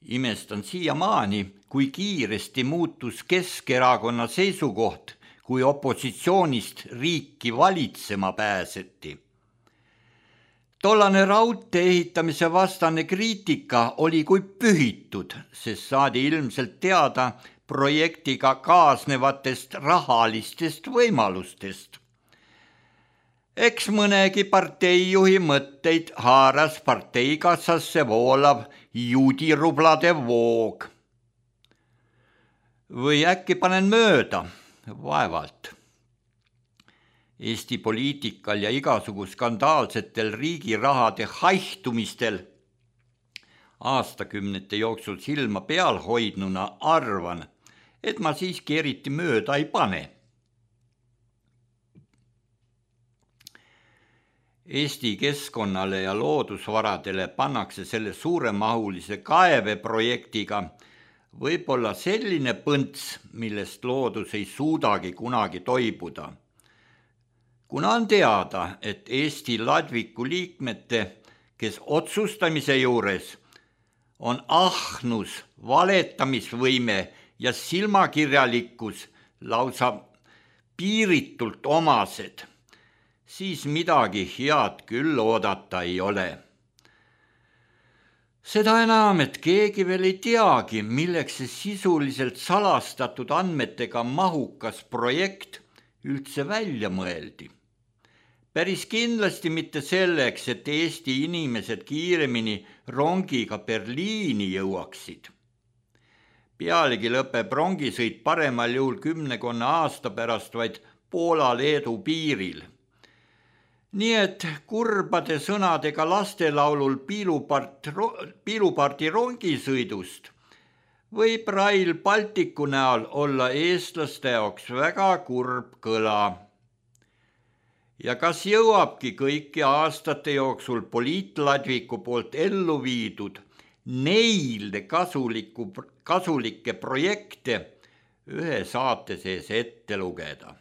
Imestan siiamaani, kui kiiresti muutus Keskerakonna seisukoht, kui opositsioonist riiki valitsema pääseti. Tollane raudtee ehitamise vastane kriitika oli kui pühitud, sest saadi ilmselt teada projektiga kaasnevatest rahalistest võimalustest. Eks mõnegi parteijuhi mõtteid haaras parteikassasse voolav juudirublade voog. Või äkki panen mööda, vaevalt. Eesti poliitikal ja igasugu skandaalsetel riigirahade haihtumistel aastakümnete jooksul silma peal hoidnuna arvan, et ma siiski eriti mööda ei pane. Eesti keskkonnale ja loodusvaradele pannakse selle suuremahulise kaeveprojektiga võib-olla selline põnts, millest loodus ei suudagi kunagi toibuda. Kuna on teada, et Eesti ladviku liikmete, kes otsustamise juures on ahnus, valetamisvõime ja silmakirjalikkus lausa piiritult omased, siis midagi head küll oodata ei ole. Seda enam, et keegi veel ei teagi, milleks see sisuliselt salastatud andmetega mahukas projekt üldse välja mõeldi. Päris kindlasti mitte selleks, et Eesti inimesed kiiremini rongiga Berliini jõuaksid. Pealegi lõpeb rongisõit paremal juhul kümnekonna aasta pärast vaid Poola-Leedu piiril. Nii et kurbade sõnadega lastelaulul piilupart, piilupardi rongisõidust võib Rail Balticu näol olla eestlaste jaoks väga kurb kõla. Ja kas jõuabki kõiki aastate jooksul poliitladviku poolt ellu viidud neile kasuliku, kasulikke projekte ühe saate sees ette lugeda?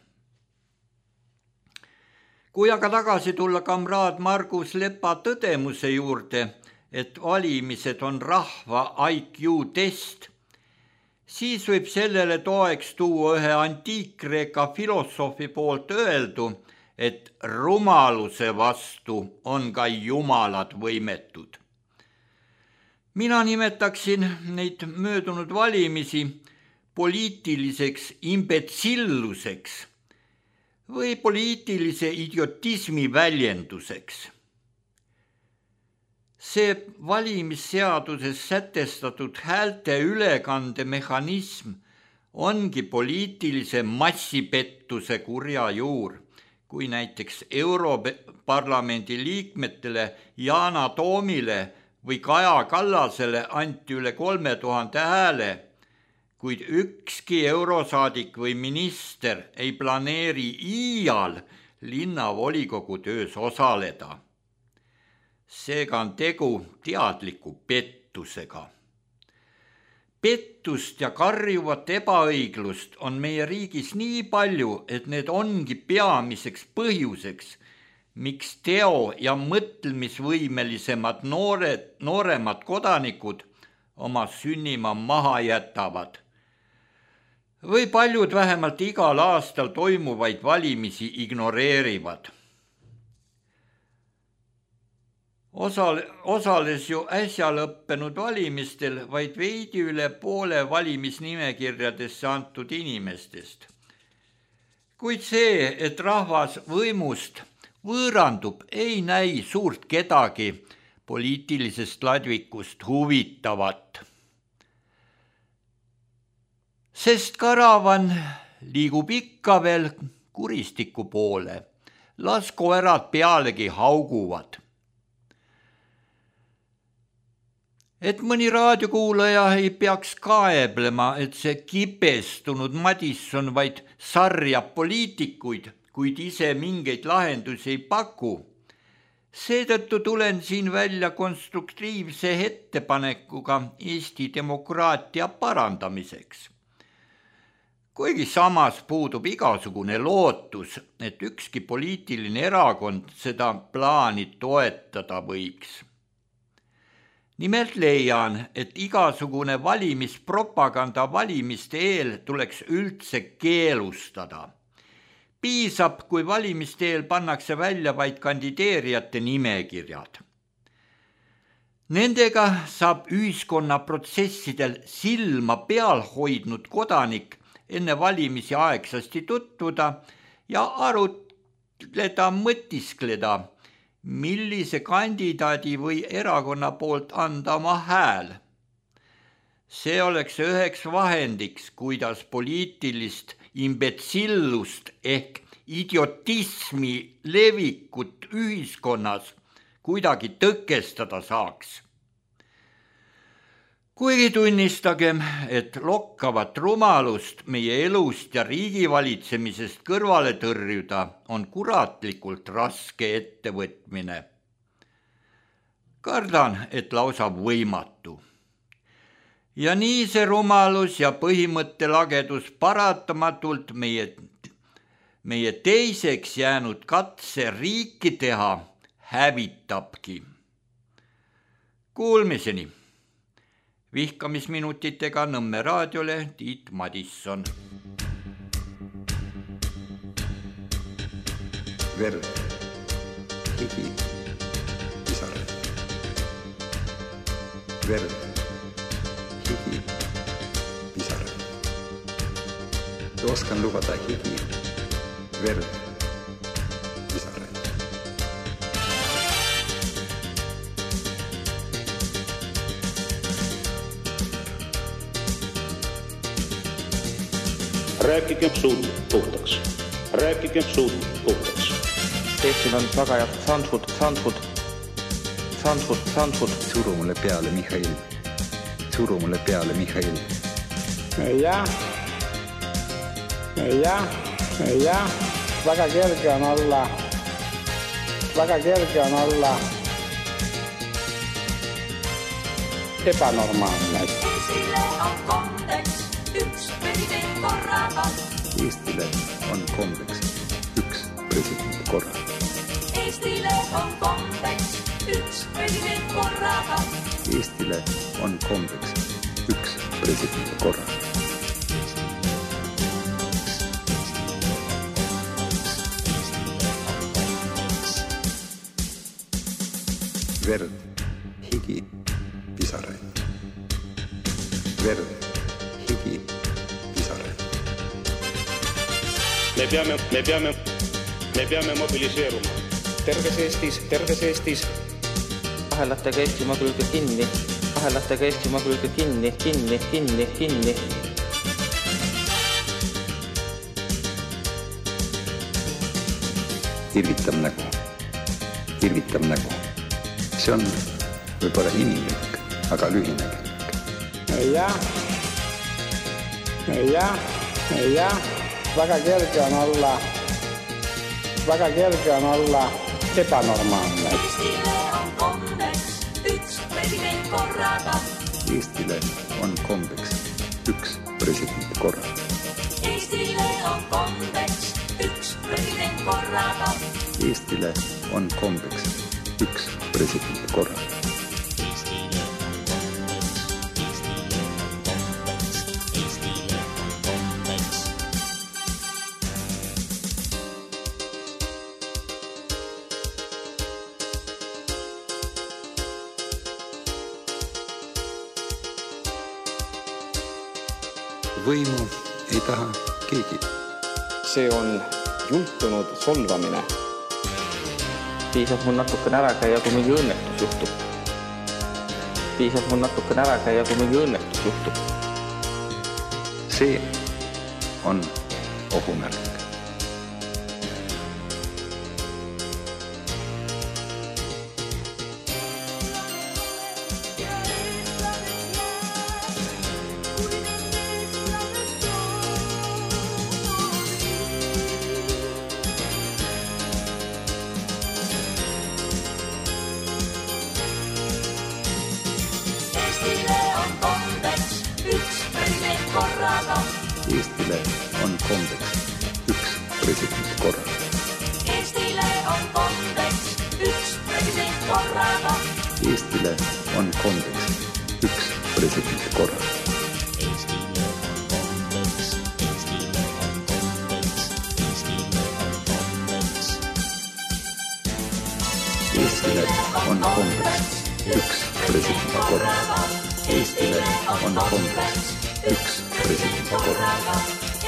Kui aga tagasi tulla kamraad Margus Lepa tõdemuse juurde, et valimised on rahva I Q test, siis võib sellele toeks tuua ühe antiikkreeka filosoofi poolt öeldu, et rumaluse vastu on ka jumalad võimetud. Mina nimetaksin neid möödunud valimisi poliitiliseks imbetsilluseks või poliitilise idiotismi väljenduseks. See valimisseaduses sätestatud häälte ülekande mehhanism ongi poliitilise massipettuse kurja juur, kui näiteks Europarlamendi liikmetele Yana Toomile või Kaja Kallasele anti üle kolme tuhande hääle, kuid ükski eurosaadik või minister ei planeeri iial linnavolikogu töös osaleda. Seega on tegu teadliku pettusega. Pettust ja karjuvat ebaõiglust on meie riigis nii palju, et need ongi peamiseks põhjuseks, miks teo- ja mõtlemisvõimelisemad noored, nooremad kodanikud oma sünnima maha jätavad. Või paljud vähemalt igal aastal toimuvaid valimisi ignoreerivad. Osal, osales ju äsja lõppenud valimistel vaid veidi üle poole valimisnimekirjadesse antud inimestest. Kuid see, et rahvas võimust võõrandub, ei näi suurt kedagi poliitilisest ladvikust huvitavat. Sest karavan liigub ikka veel kuristiku poole, las koerad pealegi hauguvad. Et mõni raadiokuulaja ei peaks kaeblema, et see kibestunud Madisson vaid sarjab poliitikuid, kuid ise mingeid lahendusi ei paku. Seetõttu tulen siin välja konstruktiivse ettepanekuga Eesti demokraatia parandamiseks. Kuigi samas puudub igasugune lootus, et ükski poliitiline erakond seda plaani toetada võiks. Nimelt leian, et igasugune valimispropaganda valimiste eel tuleks üldse keelustada. Piisab, kui valimiste eel pannakse välja vaid kandideerijate nimekirjad. Nendega saab ühiskonna protsessidel silma peal hoidnud kodanik enne valimisi aegsasti tutvuda ja arutleda, mõtiskleda, millise kandidaadi või erakonna poolt anda oma hääl. See oleks üheks vahendiks, kuidas poliitilist imbetsillust ehk idiotismi levikut ühiskonnas kuidagi tõkestada saaks. Kuigi tunnistagem, et lokkavat rumalust meie elust ja riigivalitsemisest kõrvale tõrjuda on kuratlikult raske ettevõtmine. Kardan, et lausa võimatu. Ja nii see rumalus ja põhimõttelagedus paratamatult meie, meie teiseks jäänud katse riiki teha hävitabki. Kuulmiseni! Vihkamisminutitega Nõmme raadiole Tiit Madisson. Verd, higi, pisarad. verd, higi, pisaraid. Oskan lubada higi, verd, pisaraid. Rääkigem suud puhtaks. Rääkigem suud puhtaks. Eestil on väga head Sandford, Sandford, Sandford, Sandford. Suru mulle peale, Mihhail. Suru mulle peale, Mihhail. Jah, jah, jah. Väga kerge on olla, väga kerge on olla ebanormaalne. Eestile on kombeks üks president korraga. Eestile on kombeks üks president korraga. Eestile on kombeks üks president korraga. Eestile on kombeks üks president korraga. Verd, higi, pisaraid. Verd, higi, pisaraid. Me peame, me peame, me peame mobiliseeruma. Terves Eestis, terves Eestis. Ahelatega Eestimaa külge kinni, ahelatega Eestimaa külge kinni, kinni, kinni, kinni. Irvitab nägu, irvitab nägu. See on võib-olla inimlik, aga lühinägelik. Jah, jah, jah. Väga kerge on olla, väga kerge on olla ebanormaalne. Eestile on kombeks üks president korraga. Eestile on kombeks üks president korraga. Eestile on kombeks üks president korraga. Eestile on kombeks üks president korraga. Võimu ei taha keegi. See on jultunud solvamine. Piisab mul natukene ära käia, kui mingi õnnetus juhtub. Piisab mul natukene ära käia, kui mingi õnnetus juhtub. See on ohumärk. Eestile on kombeks üks president korraga. Eestile on kombeks üks president korraga. Eestile on kombeks üks president korraga. Eestile on kombeks, Eestile on kombeks, Eestile on kombeks. Eestile on kombeks üks president korraga. Eestile on kombeks üks president korraga.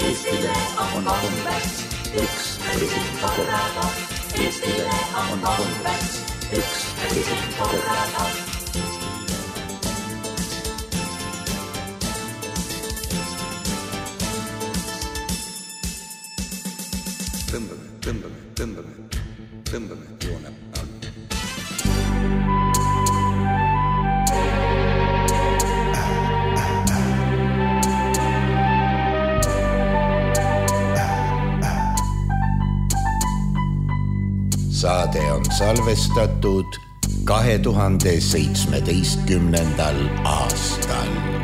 Eestile on kombeks üks president korraga. Eestile on kombeks üks president korraga. Tõmbame, tõmbame, tõmbame, tõmbame joone alla. Saade on salvestatud kahe tuhande seitsmeteistkümnendal aastal.